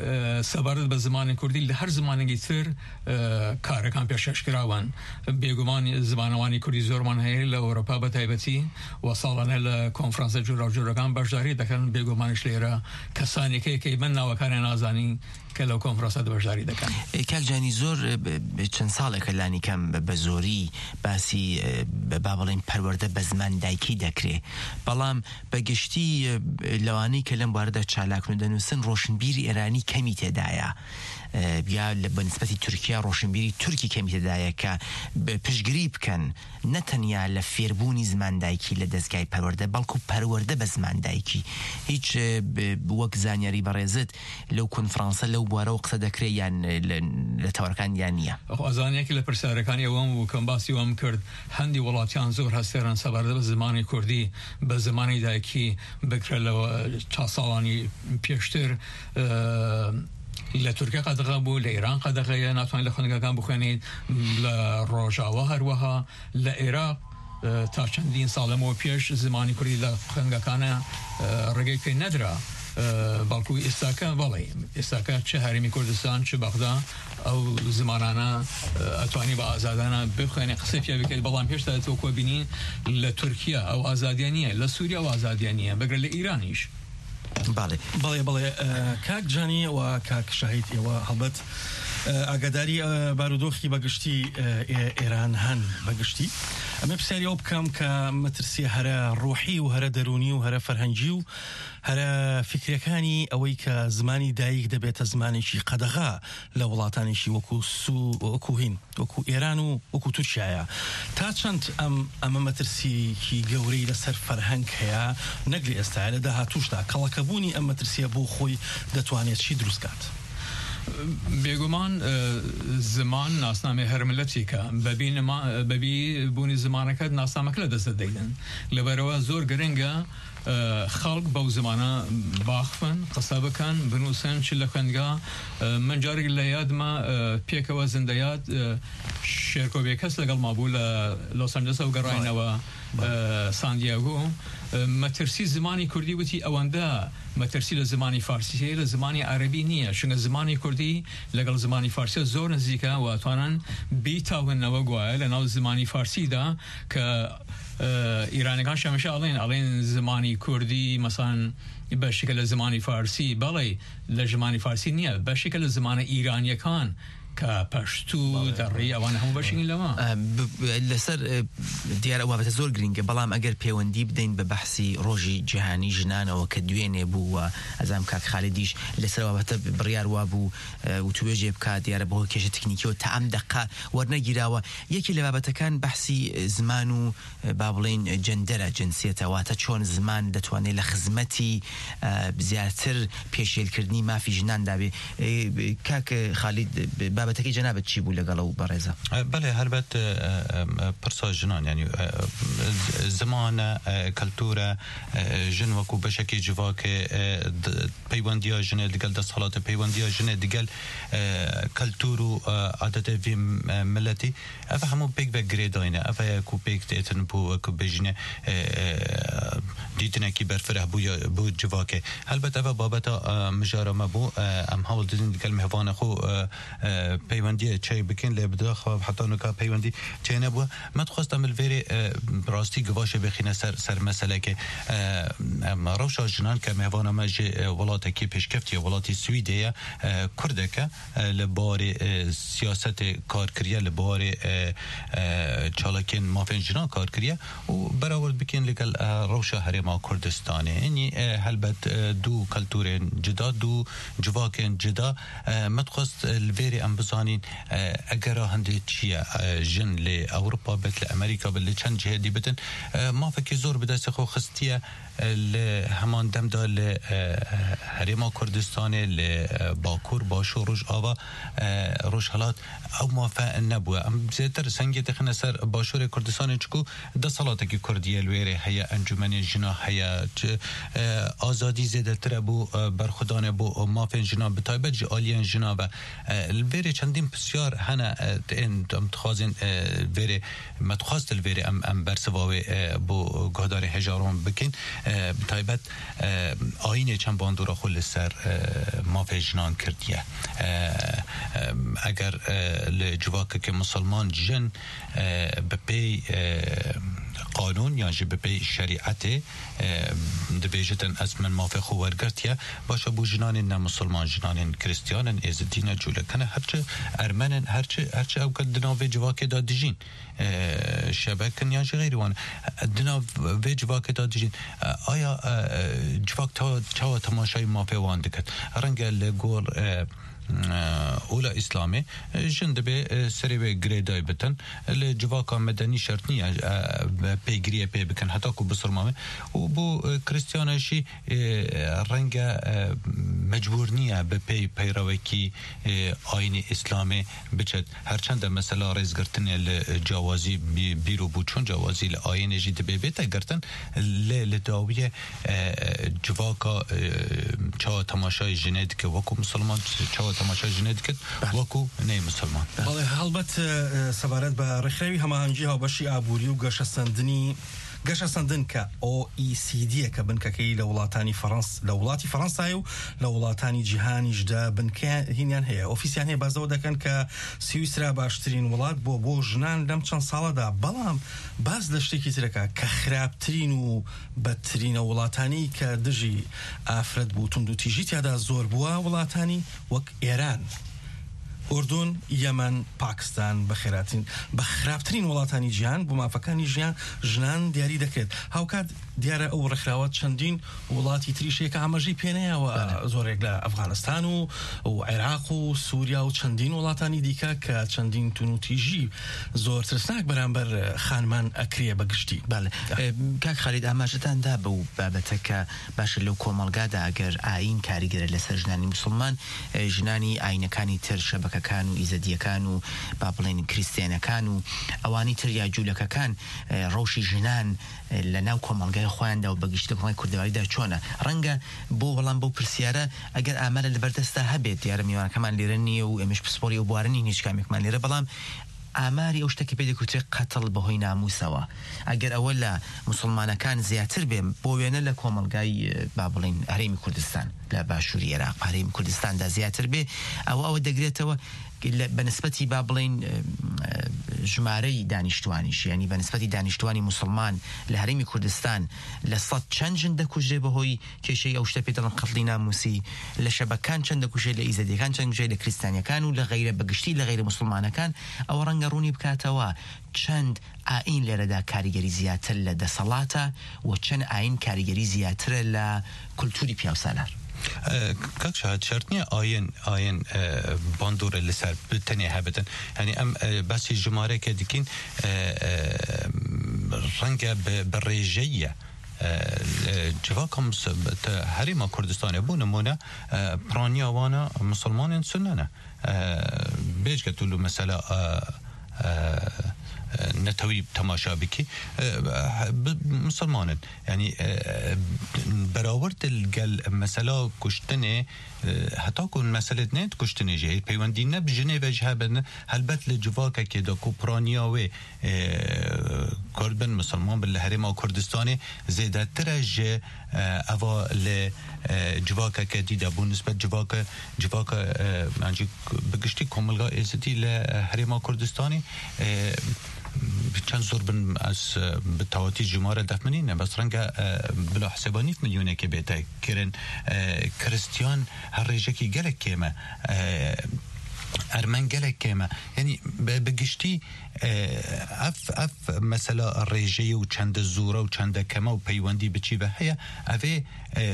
ئە، سەبارەت بە زمانی کوردی لە هەر زمانێکی تر، ئە، کارەکان پێشکەش کراون. بێگومان زمانەوانی کوردی زۆرمان هەیە لە ئەوروپا بە تایبەتی و ساڵانە لە کۆنفرانسە جۆراوجۆرەکان بەشداری دەکەن. بێگومانش لێرە کەسانێک هەیە کە من ناوەکانیان نازانی کە لەو کۆنفرانسە بەشداری دەکەن. ئە، کاک جانی، زۆر، ئە، ب-، ب-، چەند ساڵێکە لانی کەم بە، بە زۆری باسی، ئە، بە، با بڵێن پەروەردە بە زمان دایکی دەکرێ. بەڵام بە گشتی، ئە، لەوانەی کە لەم بارەدا چالاکن و دەنووسن، ڕۆشنبیری ئێرانی کەمی تێدایە. ئە، یا لە، بە نسبەتی تورکیا ڕۆشنبیری تورکی کەمی تێدایە کە ب-، پشتگیری بکەن، نە تەنیا لە فێربوونی زمان دایکی لە دەستگای پەروەردە، بەڵکو پەروەردە بە زمان دایکی. هیچ، ئە، ب-، وەک زانیاری بەڕێزت لەو کۆنفرانسە لەو بوارەوە قسە دەکرێ یان، ئە، لە، لە تەوەرەکان یان نییە؟ ئەخۆ ئەزانیەکی لە پرسیارەکانی ئەوەم بوو کەم باسی وەم کرد. هەندی وڵاتیان زۆر هەستێرن سەبارەت بە زمانی کوردی بە زمانی دایکی بکرێت لە چا ساڵانی پێشتر، ئە، لە تورکیا قەدەغە بوو، لە ئێران قەدەغەیە، ناتوانین لە خوێندنگەکان بخوێنیت، لە ڕۆژاوا هەروەها، لە عێراق، ئە، تا چەندین ساڵ لەمەوە پێش زمانی کوردی لە خوێندنگەکانە، ئە، ڕێگەی پێ نەدرا. ئە، بەڵکو ئێستاکە، بەڵێ، ئێستاکە چ هەرێمی کوردستان، چ بەغدا، ئەو زمانانە، ئە، ئەتوانی بە ئازادانە بخوێنێ، قسەی پێ بکەیت، بەڵام هێشتا تۆ کۆبینی لە تورکیا ئەو ئازادیە نییە، لە سووریا ئەو ئازادیە نییە، بگرە لە ئیرانیش. بەڵێ. بەڵێ، بەڵێ، ئە، کاک جانی و کاک شاهید، ئێوە هەڵبەت، ئە، ئاگاداری، ئە، بارودۆخی بەگشتی، ئە، ئێ-، ئێران هەن بەگشتی. ئەمە پرسیاری ئەو بکەم کە مەترسیە هەرە ڕوحی و هەرە دەرونی و هەرە فەرهەنگی و هەرە فکرەکانی ئەوەی کە زمانی دایک دەبێتە زمانێکی قەدەغا لە وڵاتانێکی وەکو سو-، وەکو هین، وەکو ئێران و وەکو تورکیایە. تا چەند ئەم، ئەمە مەترسیەکی گەورەی لەسەر فەرهەنگ هەیە، نەک لە ئێستاە، لە داهاتووشدا کەڵەکەبوونی ئەم مەترسیە بۆ خۆی دەتوانێت چی دروستکات؟ بێگومان، ئە، زمان ناسنامەی هەر ملەتێکە. بەبی نما-، بەبی بوونی زمانەکەت ناسنامەکە لە دەست دەدەین. لەبەرەوە زۆر گرنگە، ئە، خەڵک بەو زمانە باخفن، قسە بکەن، بنووسن، چ لە خوێندگا. ئە، من جارێک لە یادمە، ئە، پێکەوە زندەیاد، ئە، شێرکۆ بێکەس لەگەڵ ما بوو لە لۆس ئەنجلسەوە گەڕاینەوە، بەڵێ. ئە، ساندیاگۆ. ئە، مەترسی زمانی کوردی وتی ئەوەندە مەترسی لە زمانی فارسی هەیە، لە زمانی عەرەبی نییە، چونکە زمانی کوردی لەگەڵ زمانی فارسیە زۆر نزیکە و توانن بیتاونەوە گوایە لە ناو زمانی فارسیدا کە، ئە، ئیرانەکان شەمەشە ئەڵێن، ئەڵێن زمانی کوردی مەسەن بەشێکە لە زمانی فارسی. بەڵێ، لە زمانی فارسی نییە، بەشێکە لە زمانە ئیرانیەکان کە پەشتو، بەڵێ. دەڕی، ئەوان هەموو بەشێکن لەوە. ئە، ب-، ب-، لەسەر، ئە، دیارە ئەو بابەتە زۆر گرنگە، بەڵام ئەگەر پەیوەندی بدەین بە بەحسی ڕۆژی جیهانی ژنانەوە کە دوێنێ بوو و ئەزام کاک خالیدیش لەسەر بابەتە بڕیار وا بوو، ئە، وتوێژێ بکات، دیارە بەهۆی کێشە تەکنیکیەوە تا ئەم دەقە وەرنەگیراوە. یەکێ لە بابەتەکان بەحسی زمان و، ئە، با بڵێن جەندەرە، جنسیەتە، واتە چۆن زمان دەتوانێت لە خزمەتی، ئە، زیاتر پێشێلکردنی مافی ژناندا بێ. ئە، کاک خالید، بابەتەکەی جەنابەت چی بوو لەگەڵ ئەو بەڕێزە؟ ئە، بەڵێ، هەلبەت، ئە، ئە، ئە، پرسا ژنان، یعنی، ئە، ئە، زمانە، ئە، کەلتورە، ئە، ژن وەکو بەشێکی جیواکێ، ئە، د-، پەیوەندیە ژنێ دگەل دەسەڵاتێ، پەیوەندیە ژنێ دگەل، ئە، کەلتور و، ئە، عادەتێ ڤی، ئە، ملەتی. ئەڤە هەموو پێک بە گرێداینە. ئەڤەیە کو پێک دێتن بۆ وەکو بێژنە، ئە، ئە، دیتنێکی بەرفرە بوو یا بۆ civakê. هەلبەت ئەڤە بابەتە، ئە، مژارە مە بوو، ئە، ئەم هەوڵ ددین دگەل مهوانە خۆ، ئە، ئە، پەیوەندیە چەی بکەین، لێ بداخوا حتا نوکا پەیوەندی چەی نەبووە. مە دخواستە مل vêrê، ئە، ڕاستی گڤاشێ بخینە سەر، سەر مەسەلەکێ. ئە، ئەم ڕەوشا ژنان کە مهوانە مە ژێ، ئە، وڵاتێکی پێشکەفتیە، وڵاتی سویدەیە، ئە، کوردەکە، ئە، لە بارێ، ئە، سیاسەتێ کار کریە، لە بارێ، ئە، ئە، چالاکێن مافێن ژنان کار کریە و بەراورد بکەین لەگەڵ، ئە، ڕەوشە هەرێما کوردستانێ. یعنی، ئە، هەلبەت، ئە، دوو کەلتورێن جدا، دوو civakên cida. ئە، مە دخواست، ئە، li vêrê em bizanîn، ئە، ئەگەرا hindê çi ye، ئە، jin lê Ewropa bit، li Amerîka bit، li çend cihê dî bitin، ئە، mafekî zor bi destê xwe xistiye، ئە، li heman dem de li، ئە، Herêma Kurdistanê، li، ئە، Bakur، Başûr، Rojava، ئە، Rojhilat ew mafe nebûye. Em zêdetir sengê dixine ser Başûrê Kurdistanê çiku desthilatekî Kurdî ye li wêrê heye, encûmenê jina heye, çi, e, azadî zêdetir e bo, e, berxwedanê bo mafên jinan, bi taybet ji aliyên jinan ve. E, li vêrê çendîn pisyar hene, e, ên em dixwazin, e, vêrê, me dixwast li vêrê em, em bersiva wê, e, bo guhdarê hejaron bikin. E, bi taybet, e, ayînê çend bandora xwe li ser, e, mafê jinan kirdiye. E, e, eger, e, li civakekê misilman jin, e, bi pey, e, qanûn yan jî bi pey şerîetê, e, dibêjitin ez min mafê xwe wergirtiye, baş e bo jinanên ne misilman, jinanên Kristiyan in, Êzidî ne, Cûleke ne, herçi Ermen in, herçi, herçi ew ke di nav vê civakê de dijîn, e, şebek in yan jî xeyrî wan. Di nav vê civakê de dijîn. E, aya, e, e, civak ta-, çawa temaşayî mafê wan diket? Renge li gor, e, e, ola Îslamê, e, jin dibê, e, serê wê girêdayî bitin. Li civaka medenî şert niye, e, pêgiriyê pê bikin, heta ku bisilmame. Û bo, e, Kristiyana jî, e, renge, e, mecbûr niye bi pey peyrewekî, e, ayînê Îslamê biçet. Her çend e mesela rêzgirtinê li cawazî bî-, bîr û boçûn, cawazî li ayînê jî dibê bête girtin, lê li dawiyê, e, e, civaka, e, çawa temaşayê jinê dike wekû misilman, çawa temaşayê jinê dike wekû ney misilman. بەڵێ، هەڵبەت، ئە، سەبارەت بە ڕێکخراوی هەماهەنگی هاوبەشی ئابووری و گەشەسەندنی گەشەسەندن کە ئۆ ئی سی دی یە کە بنکەکەی لە وڵاتانی فەڕەنس-، لە وڵاتی فەڕەنسایە و لە وڵاتانی جیهانیشدا بنکە هینیان هەیە. ئۆفیسیان هەیە، باز لەوە دەکەن کە سویسرا باشترین وڵات بۆ، بۆ ژنان لەم چەند ساڵەدا. بەڵام باز لە شتێکی ترەکە کە خراپترین و بەدترینە وڵاتانی کە دژی ئافرەت بوو، توند و تیژی تیادا زۆر بووە، وڵاتانی وەک ئێران، ئوردون، یەمەن، پاکستان بە خێراترین، بە خراپترین وڵاتانی جیهان بۆ مافەکانی ژیان، ژنان دیاری دەکرێت. هاوکات دیارە ئەو ڕێکخراوە چەندین وڵاتی تریشەیە کە ئاماژەی پێنەیەوە، بەڵێ. زۆرێک لە ئەفغانستان و، و عێراق و سووریا و چەندین وڵاتانی دیکە کە چەندین تون و تیژی زۆر ترسناک بەرامبەر خانمان ئەکرێ بە گشتی. بەڵێ. ئە، کاک خالید، ئاماژەتان دا بەو بابەتە کە باشە لەو کۆمەڵگادا ئەگەر ئاین کاریگەرە لەسەر ژنانی موسڵمان، ئە، ژنانی ئاینەکانی تر، شەبەکەکان و ئیزەدیەکان و با بڵێن کریستیانەکان و ئەوانی تر یا جوولەکەکان، ئە، ڕەوشی ژنان، ئە، لە ناو کۆمەڵگای خۆیاندا و بەگشتی کۆمەڵگای کوردەواریدا چۆنە؟ ڕەنگە بۆ وەڵام بەو پرسیارە ئەگەر ئامارە لەبەردەستدا هەبێت، دیارە میوانەکەمان لێرە نییە و ئێمەش پسپۆری ئەو بوارە نین هیچ کامێکمان لێرە، بەڵام ئاماری ئەو شتە کە پێ دەکوترێت قەتڵ بەهۆی ناموسەوە، ئەگەر ئەوە لە موسڵمانەکان زیاتر بێ، بۆ وێنە لە کۆمەڵگای، با بڵێن، هەرێمی کوردستان، لە باشووری عێراق، هەرێمی کوردستاندا زیاتر بێ، ئەوە، ئەوە دەگرێتەوە لە، بە نسبەتی، با بڵێن، ژمارەی دانیشتوانیش، یعنی بە نسبەتی دانیشتوانی موسڵمان لە هەرێمی کوردستان لە سەد چەند ژن دەکوژرێ بەهۆی کێشەی ئەو شتە پێ دەڵێن قەتڵی ناموسی، لە شەبەکان چەند دەکوژێ، لە ئیزەدیەکان چەند دەکوژێ، لە کریستانیەکان و لە غەیرە، بەگشتی لە غەیرە موسڵمانەکان، ئەوە ڕەنگە ڕوونی بکاتەوە چەند ئاین لێرەدا کاریگەری زیاتر لە دەسەڵاتە و چەند ئاین کاریگەری زیاترە لە کولتوری پیاوسالار. ئە، کاک شاهد، شەرت نییە ئاین، ئاین، ئە، باندۆرە لەسەر ب-، تەنێ هەبتن. یعنی ئەم، ئە، باسی ژمارەیەکە دکین، ئە، ئە، ڕەنگە بە، بە ڕێژەیە. ئە، لە جڤاکە مس-، تە-، هەرێما کوردستانێ، بۆ نمونە، ئە، پرانیا وانە مسلمانێن سنەنە. ئە، بێجگە تو لە مەسەلا، ئە، ئە، ئە، نەتەوی تەماشا بکی، ئە، ب-، مسلمانن. یعنی، ئە، بەراورد گەل مەسەلا کوشتنێ، ئە، هەتا کو مەسەلێت نێت کوشتنێ ژێ، پەیوەندی نەب ژنێ ڤێژ هەبن، هەلبەت لە جڤاکەکێ دا کو پرانیا وێ، ئە، کورد بن، مسلمان بن، لە هەرێما کوردستانێ زێدەترە ژێ، ئە، ئەوا لە، ئە، جڤاکەکە دیدا بوو نسبەت جڤاکە، جڤاکە، ئە، یعنی بگشتی کۆمەلگا ئێزدی لە، ئە، هەرێما کوردستانێ، ئە، چەند زۆر بن، ئەس، ئە، بە تەواتی ژمارە دەفمنینە، بەس ڕەنگە، ئە، بلا حسێبا نیف ملیۆنێکێ بێتە کرن، ئە، کریستیان هەر ڕێژەکی گەلێک کێمە، ئە، ئەرمەن گەلێک کێمە. یعنی بە، بگشتی، ئە، ئەف، ئەف مەسەلا ڕێژەیە و چەندە زۆرە و چەندە کەمە و پەیوەندی بچی بە هەیە، ئەڤێ، ئە،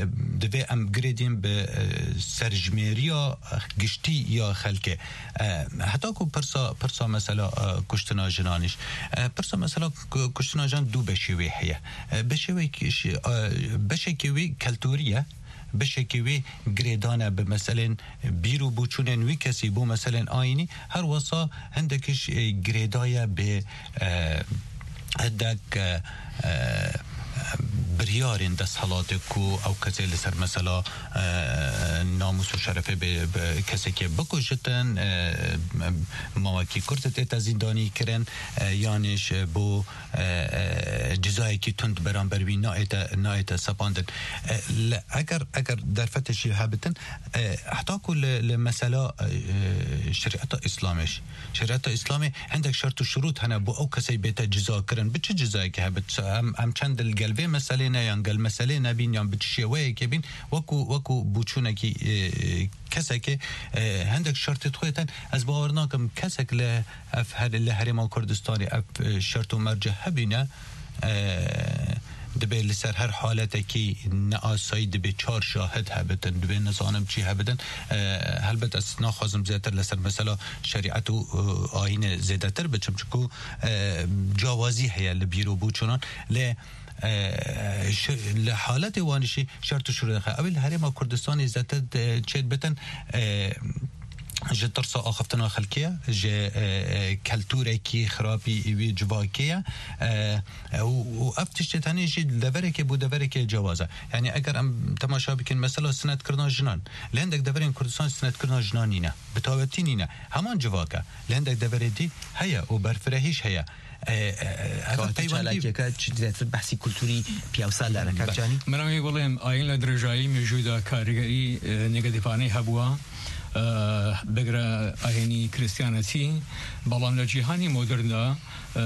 دەبێ ئەم گرێدین بە، ئە، سەرژمێریە گشتی یا خەلکێ. ئە، هەتا کو پرسا، پرسا مەسەلا، ئە، کوشتنا ژنانیش. ئە، پرسا مەسەلا کو-، کوشتنا ژن دوو بەشی وێ هەیە. ئە، بەشێ وێ کش-، ئە، بەشێکی وێ کەلتوریە، بەشێکی وێ گرێدانە بە مەسەلێن بیر و بوچونên wî kesî bo meselên ayînî, her wesa hindekiş, e, girêdaye bi, e, hindek, e, e, biryarên desthilatê ku ew kesê li ser mesela, e, namûs û şerefê bi, bi kesekê bikujitin, e, mawekî kurt tête zîndanî kirin, e, yanî ji bo e, e, cizayekî tund beramber wî nayête, nayête sepandin. E, li, eger, eger derfetê jî hebitin, e, heta ku li, li mesela, e, şerîeta Îslamê jî, şerîeta Îslamê hindek şert û şurût hene bo ew kesey bête ciza kirin. Bi çi cizayekî hebit? Em, em çend li gel vê meselê ne, yan gel meselê nebîn, yan bi çi şêweyekê bîn, wekû, wekû bûçûnekî, e, kesekê, e, hindek şertê dixwêtin. Ez bawer nakim kesek li ev her, li Herêma Kurdistanê ev, e, şert û merce hebîne, e, dibê li ser her haletekî neasayî dibê çar şahid hebitin, dibê nizanim çi hebitin. E, helbet ez naxwazim zêdetir li ser mesela şerîet û, e, ayînê zêdetir biçim, çunku, e, cawazî heye li bîr û bûçûnan. Lê, e, şi-, li haletê wan jî şert û şurût heye. Ew ê li Herêma Kurdistanê zêdetir, e, çêdibitin, e, ji tirsa axiftina xelkê ye, ji, e, e, keltûrekî xirabî wî civakê ye. E, e, û, û ev tiştê tenê jî li deverekê bo deverekê cewaz e. Yanî eger em temaşa bikin, mesela sinetkirina jinan, li hindek deverên Kurdistanê sinetkirina jinan nîne, bi tawetî nîne. Heman civak e. Li hindek deverê dî heye û berfirehîş heye. ئەوە کەواتە پەیوەندی چالاکیەکە چ زیاتر بەحسی کولتوری پیاوسالارە، کاک جانی؟ من ئەوەی بڵێم، ئاین لە درێژایی مێژوودا کاریگەری، ئە، نێگەتیڤانەی هەبووە، ئە، بگرە ئاینی کریستیانەتی، بەڵام لە جیهانی مۆدرندا، ئە،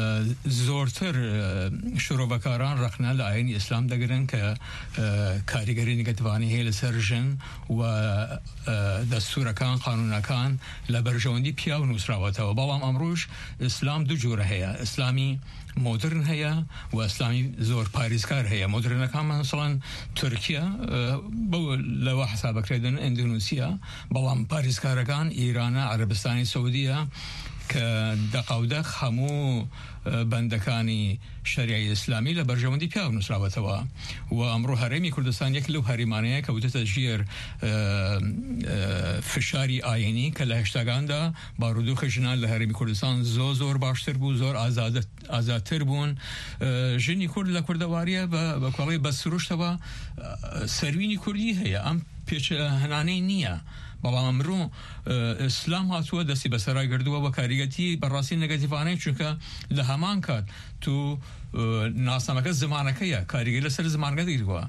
زۆرتر، ئە، شرۆڤەکاران ڕەخنە لە ئاینی ئیسلام دەگرن کە، ئە، کاریگەری نێگەتیڤانەی هەیە لەسەر ژن و، ئە، دەستورەکان، قانونەکان لە بەرژەوەندی پیاو نووسراوەتەوە. بەڵام ئەمڕۆش ئیسلام دوو جۆرە هەیە، ئیسلامی مۆدرن هەیە و ئیسلامی زۆر پاریزکار هەیە. مۆدرنەکان، مەسەڵەن، تورکیا، ئە، بەو لەوە حسابەکرێدن، ئەندونوسیا، بەڵام پاریزکارەکان ئیرانە، عەرەبستانی سعودیە، کە دەقاودەق هەموو، ئە، بەندەکانی شەریعی ئیسلامی لە بەرژەوەندی پیاو نووسراوەتەوە. و ئەمڕۆ هەرێمی کوردستان یەک لەو هەرێمانەیە کە وتەتە ژێر، ئە، ئە، فشاری ئاینی، کە لە هەشتاکاندا بارودۆخی ژنان لە هەرێمی کوردستان زۆر، زۆر باشتر بوو، زۆر ئازادە-، ئازادتر بوون. ئە، ژنی کورد لە کوردەواریە بە، بە کۆڵی بە سروشتەوە، ئە، سەروینی کوردی هەیە. ئەم پێچ هەنانەی نییە. بەڵام ئەمڕۆ، ئە، ئیسلام هاتووە، دەستی بەسەرا گردووە و کاریگەتی بەڕاستی نێگەتیڤانەی، چونکە لە هەمان کات تو، ئە، ناسنامەکە زمانەکەیە، کاریگەری لەسەر زمانەکە دەگیرەوە.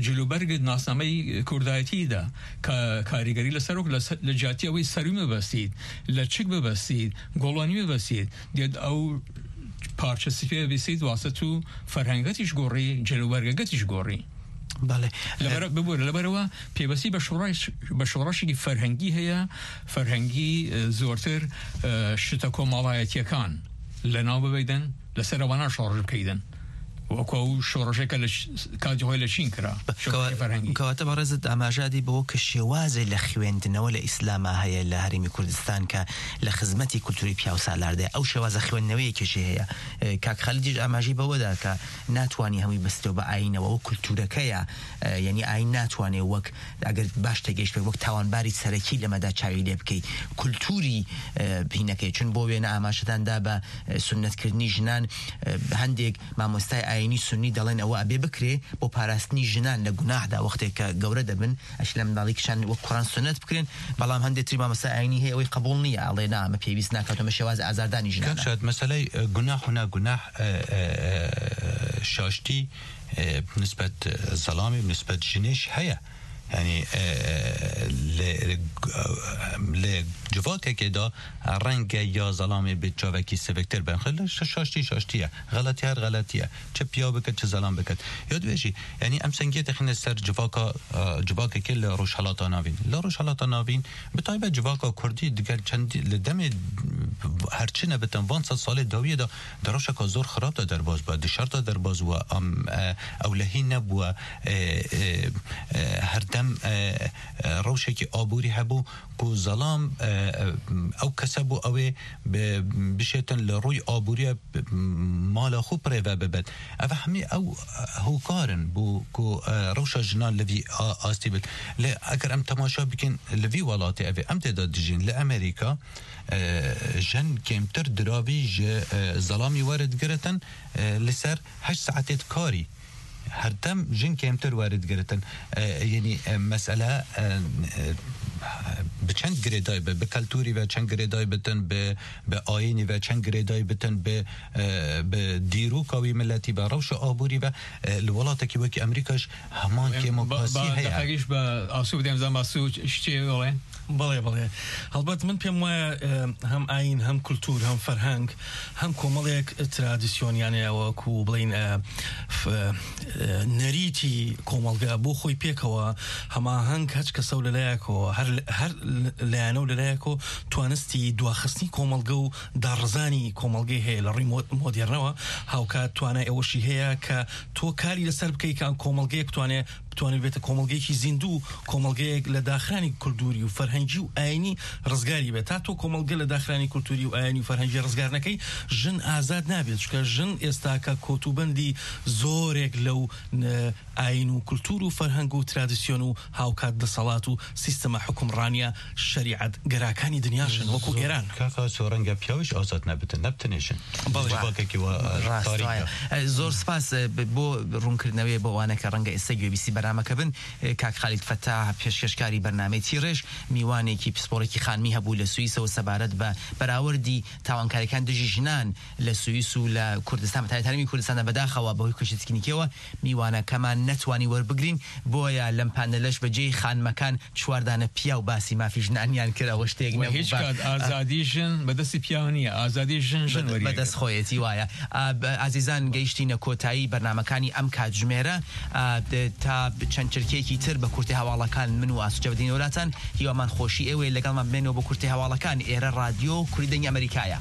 جلوبەرگت ناسنامەی کوردایەتیدا کە کاریگەری لەسەر وەک لە سە-، لە جیاتی ئەوەی سەروی مەبەستیت، لە چک ببەستیت، گۆڵانی ببەستیت، دێت ئەو پارچە سپیە بیسیت، واسە تو فەرهەنگەتیش گۆڕی، جلوبەرگەکەتیش گۆڕی. بەڵێ. لەبەر-، ببوورە، لەبەرەوە پێوەستی بە شۆڕش-، بە شۆڕشێکی فەرهەنگی هەیە، فەرهەنگی، ئە، زۆرتر، ئە، شتە کۆمەڵایەتیەکان لە ناو ببەیدن، لەسەر ئەوانە شۆڕش بکەیدن. وەکو ئەو شۆڕشێکە لە ش-، کاتی خۆی لە چین کرا. شۆڕشی کەوا-، فەرهەنگی. کەواتە بەڕێزت ئاماژادی بەوە کە شێوازێ لە خوێندنەوە لە ئیسلاما هەیە لە هەرێمی کوردستان کە لە خزمەتی کولتوری پیاوسالار دێ. ئەو شێوازە خوێندنەوەیەکیشی هەیە. ئە، کاک خالیدیش ئاماژەی بەوەدا کە ناتوانی هەمووی بەستەوە بە ئاینەوە، ئەو کولتورەکەیە، ئە، یعنی ئاین ناتوانێ وەک، ئەگەر باش تێگەیشت بێت، وەک تاوانباری سەرەکی لەمەدا چاوی لێ بکەیت. کولتوری، ئە، بینەکەی، چون بۆ وێنە ئاماژەداندا بە، ئە، سونەتکردنی ژنان، ئە، هەندێک مامۆستای ئاینی سونی دەڵێن ئەوە ئەبێ بکرێ بۆ پاراستنی ژنان لە گوناهدا، وەختێک کە گەورە دەبن، ئەش لە منداڵی کشان وەک کوڕان سونەت بکرێن، بەڵام هەندێک تری مامۆستا ئاینی هەیە ئەوەی قبول نییە، ئەڵێ نا، ئەمە پێویست ناکات، ئەمە شێواز ئازاردانی ژنانە. کاک شاد، مەسەلەی، ئە، گوناح و ناگوناح، ئە، ئە، ئە، شاشتی، ئە، نسبەت، ئە، زەڵامی و نسبەت ژنێش هەیە. یعنی، ئە، ئە، لە، لە جوواکێکێدا ڕەنگە یا زەڵامێ بێت چاوێکی سڤکتر بن. خە-، لە شا-، شاشتی شاشتیە. غەڵەتی هەر غەڵەتیە. چ پیا بکەت، چ زەڵام بکەت. یاد بێژی، یعنی ئەم سنگیە دەخینە سەر جوواکە، ئە، جوواکێکی لە ڕۆژهەڵاتا ناوین. لە ڕۆژهەڵاتا ناوین، بە تایبەت جوواکە کوردی دگەر چەندی لە دەمێ هەرچی نەبتن، وان سەد ساڵێ داویەدا دە ڕەوشەکە زۆر خراپدا دەرباز بووە، دە شەردا دەرباز بووە، ئەم، ئە، ئەولەهی نەبووە، ئە، ئە، ئە، هەردەم، ئە، ئە، ڕەوشێکی ئابووری هەبوو، کو زەڵام، ئە، ئە، ئەو کەسە بوو ئەوێ ب-، بشێتن لە ڕووی ئابووریە ب-، مالا خو پرێڤە ببێت. ئەوە هەمی ئەو هۆکارن بوو کو، ئە، ڕەوشە ژنان لە وی ئا-، ئاستی بێت. لێ ئەگەر ئەم تەماشا بکەین لە وی وڵاتی ئەوێ ئەم تێدا دژین لە ئەمریکا، ئە، ژن کێمتر دراوی ژە، ئە، زەڵامی وەرت گرتن، ئە، لەسەر هەشت ساعتێت کاری. هەردەم ژن کێمتر وەرت گرتن. ئە، یعنی، ئە، مەسئلە، ئە، ئە، بە چەند گرێدای بێ، بە کەلتوری بێ چەند گرێدای بتن، بە، بە ئاینی بێ چەند گرێدای بتن، بە، ئە، بە دیروکا وی ملەتی بێ، ڕەوشە ئابووری بێ، ئە، لە وڵاتێکی وەکی ئەمریکاش هەمان کێم و پاسی هەیە. دەقەکیش بە ئاسوو بدەم، زان ئاسوو شتێ بڵێن. بەڵێ، بەڵێ. هەڵبەت من پێم وایە، ئە، هەم ئاین، هەم کولتور، هەم فەرهەنگ، هەم کۆمەڵێک ترادیسیۆن، یانە وەکو بڵین، ئە، ف-، ئە، نەریتی کۆمەڵگە بۆ خۆی پێکەوە هەماهەنگ هەچ کەسە و لەلایەکەوە، هەر، هەر لایەنە و لەلایەکەوە توانستی دواخستنی کۆمەڵگە و داڕزانی کۆمەڵگەی هەیە لە ڕووی مۆ-، مۆدێرنەوە. هاوکات توانای ئەوەشی هەیە کە تۆ کاری لەسەر بکەی کە ئەم کۆمەڵگەیە بتوانێ بتوانێت بێتە کۆمەڵگەیەکی زیندوو، کۆمەڵگەیەک لە داخرانی کولتوری و فەرهەنگی و ئاینی ڕزگاری بێت. تا تۆ کۆمەڵگە لە داخرانی کولتوری و ئاینی و فەرهەنگی ڕزگار نەکەی، ژن ئازاد نابێت، چونکە ژن ئێستا کە کۆتوبەندی زۆرێک لەو، ئە، ئاین و کولتور و فەرهەنگ و ترادیسیۆن و هاوکات دەسەڵات و سیستەمە حکومڕانیە شەریعەت گەراکانی دنیاشن، وەکو ئێران. کاکا سۆ ڕەنگە پیاویش ئازاد نەبتن، نەبتنێشن. بەڵێ. جوواکێکی وە، ئە، ڕاست تاریکە. وایە. ئە، زۆر سپاس، ئە، ب-، بۆ ڕوونکردنەوەی بۆ ئەوانە کە ڕەنگە ئێستا گوێبیستی بەرنامەکە بن. کاک خالید فەتاح، پێشکەشکاری بەرنامەی تیڕێژ، میوانێکی پسپۆڕێکی خانمی هەبوو لە سوئیسەوە سەبارەت بە بەراوردی تاوانکاریەکان دژی ژنان لە سوئیس و لە کوردستان، بە تایبەت هەرێمی کوردستاندا. بەداخەوە بەهۆی کێشە تەکنیکیەوە میوانەکەمان نەتوانی وەربگرین، بۆیە لەم پانێلەش بە جێی خانمەکان چواردانە پیاو باسی مافی ژنانیان کرد، ئەوە شتێک نەبوو. هیچ کات ئازادی ژن بە دەستی پیاو نییە، ئازادی ژن ژن وەریەگرێت. بەدەست خۆیەتی وایە. ئازیزان، گەیشتینە کۆتایی بەرنامەکانی ئەم کاتژمێرە. تا چەند چرکەیەکی تر بە کورتەی هەواڵەکان، من و ئاسو جەودینەوەلاتان هیوامان خۆشی ئێوەیە. لەگەڵمان بمێنەوە بۆ کورتەی هەواڵەکان. ئێرە ڕادیۆ کوردی دەنگی ئەمریکایە.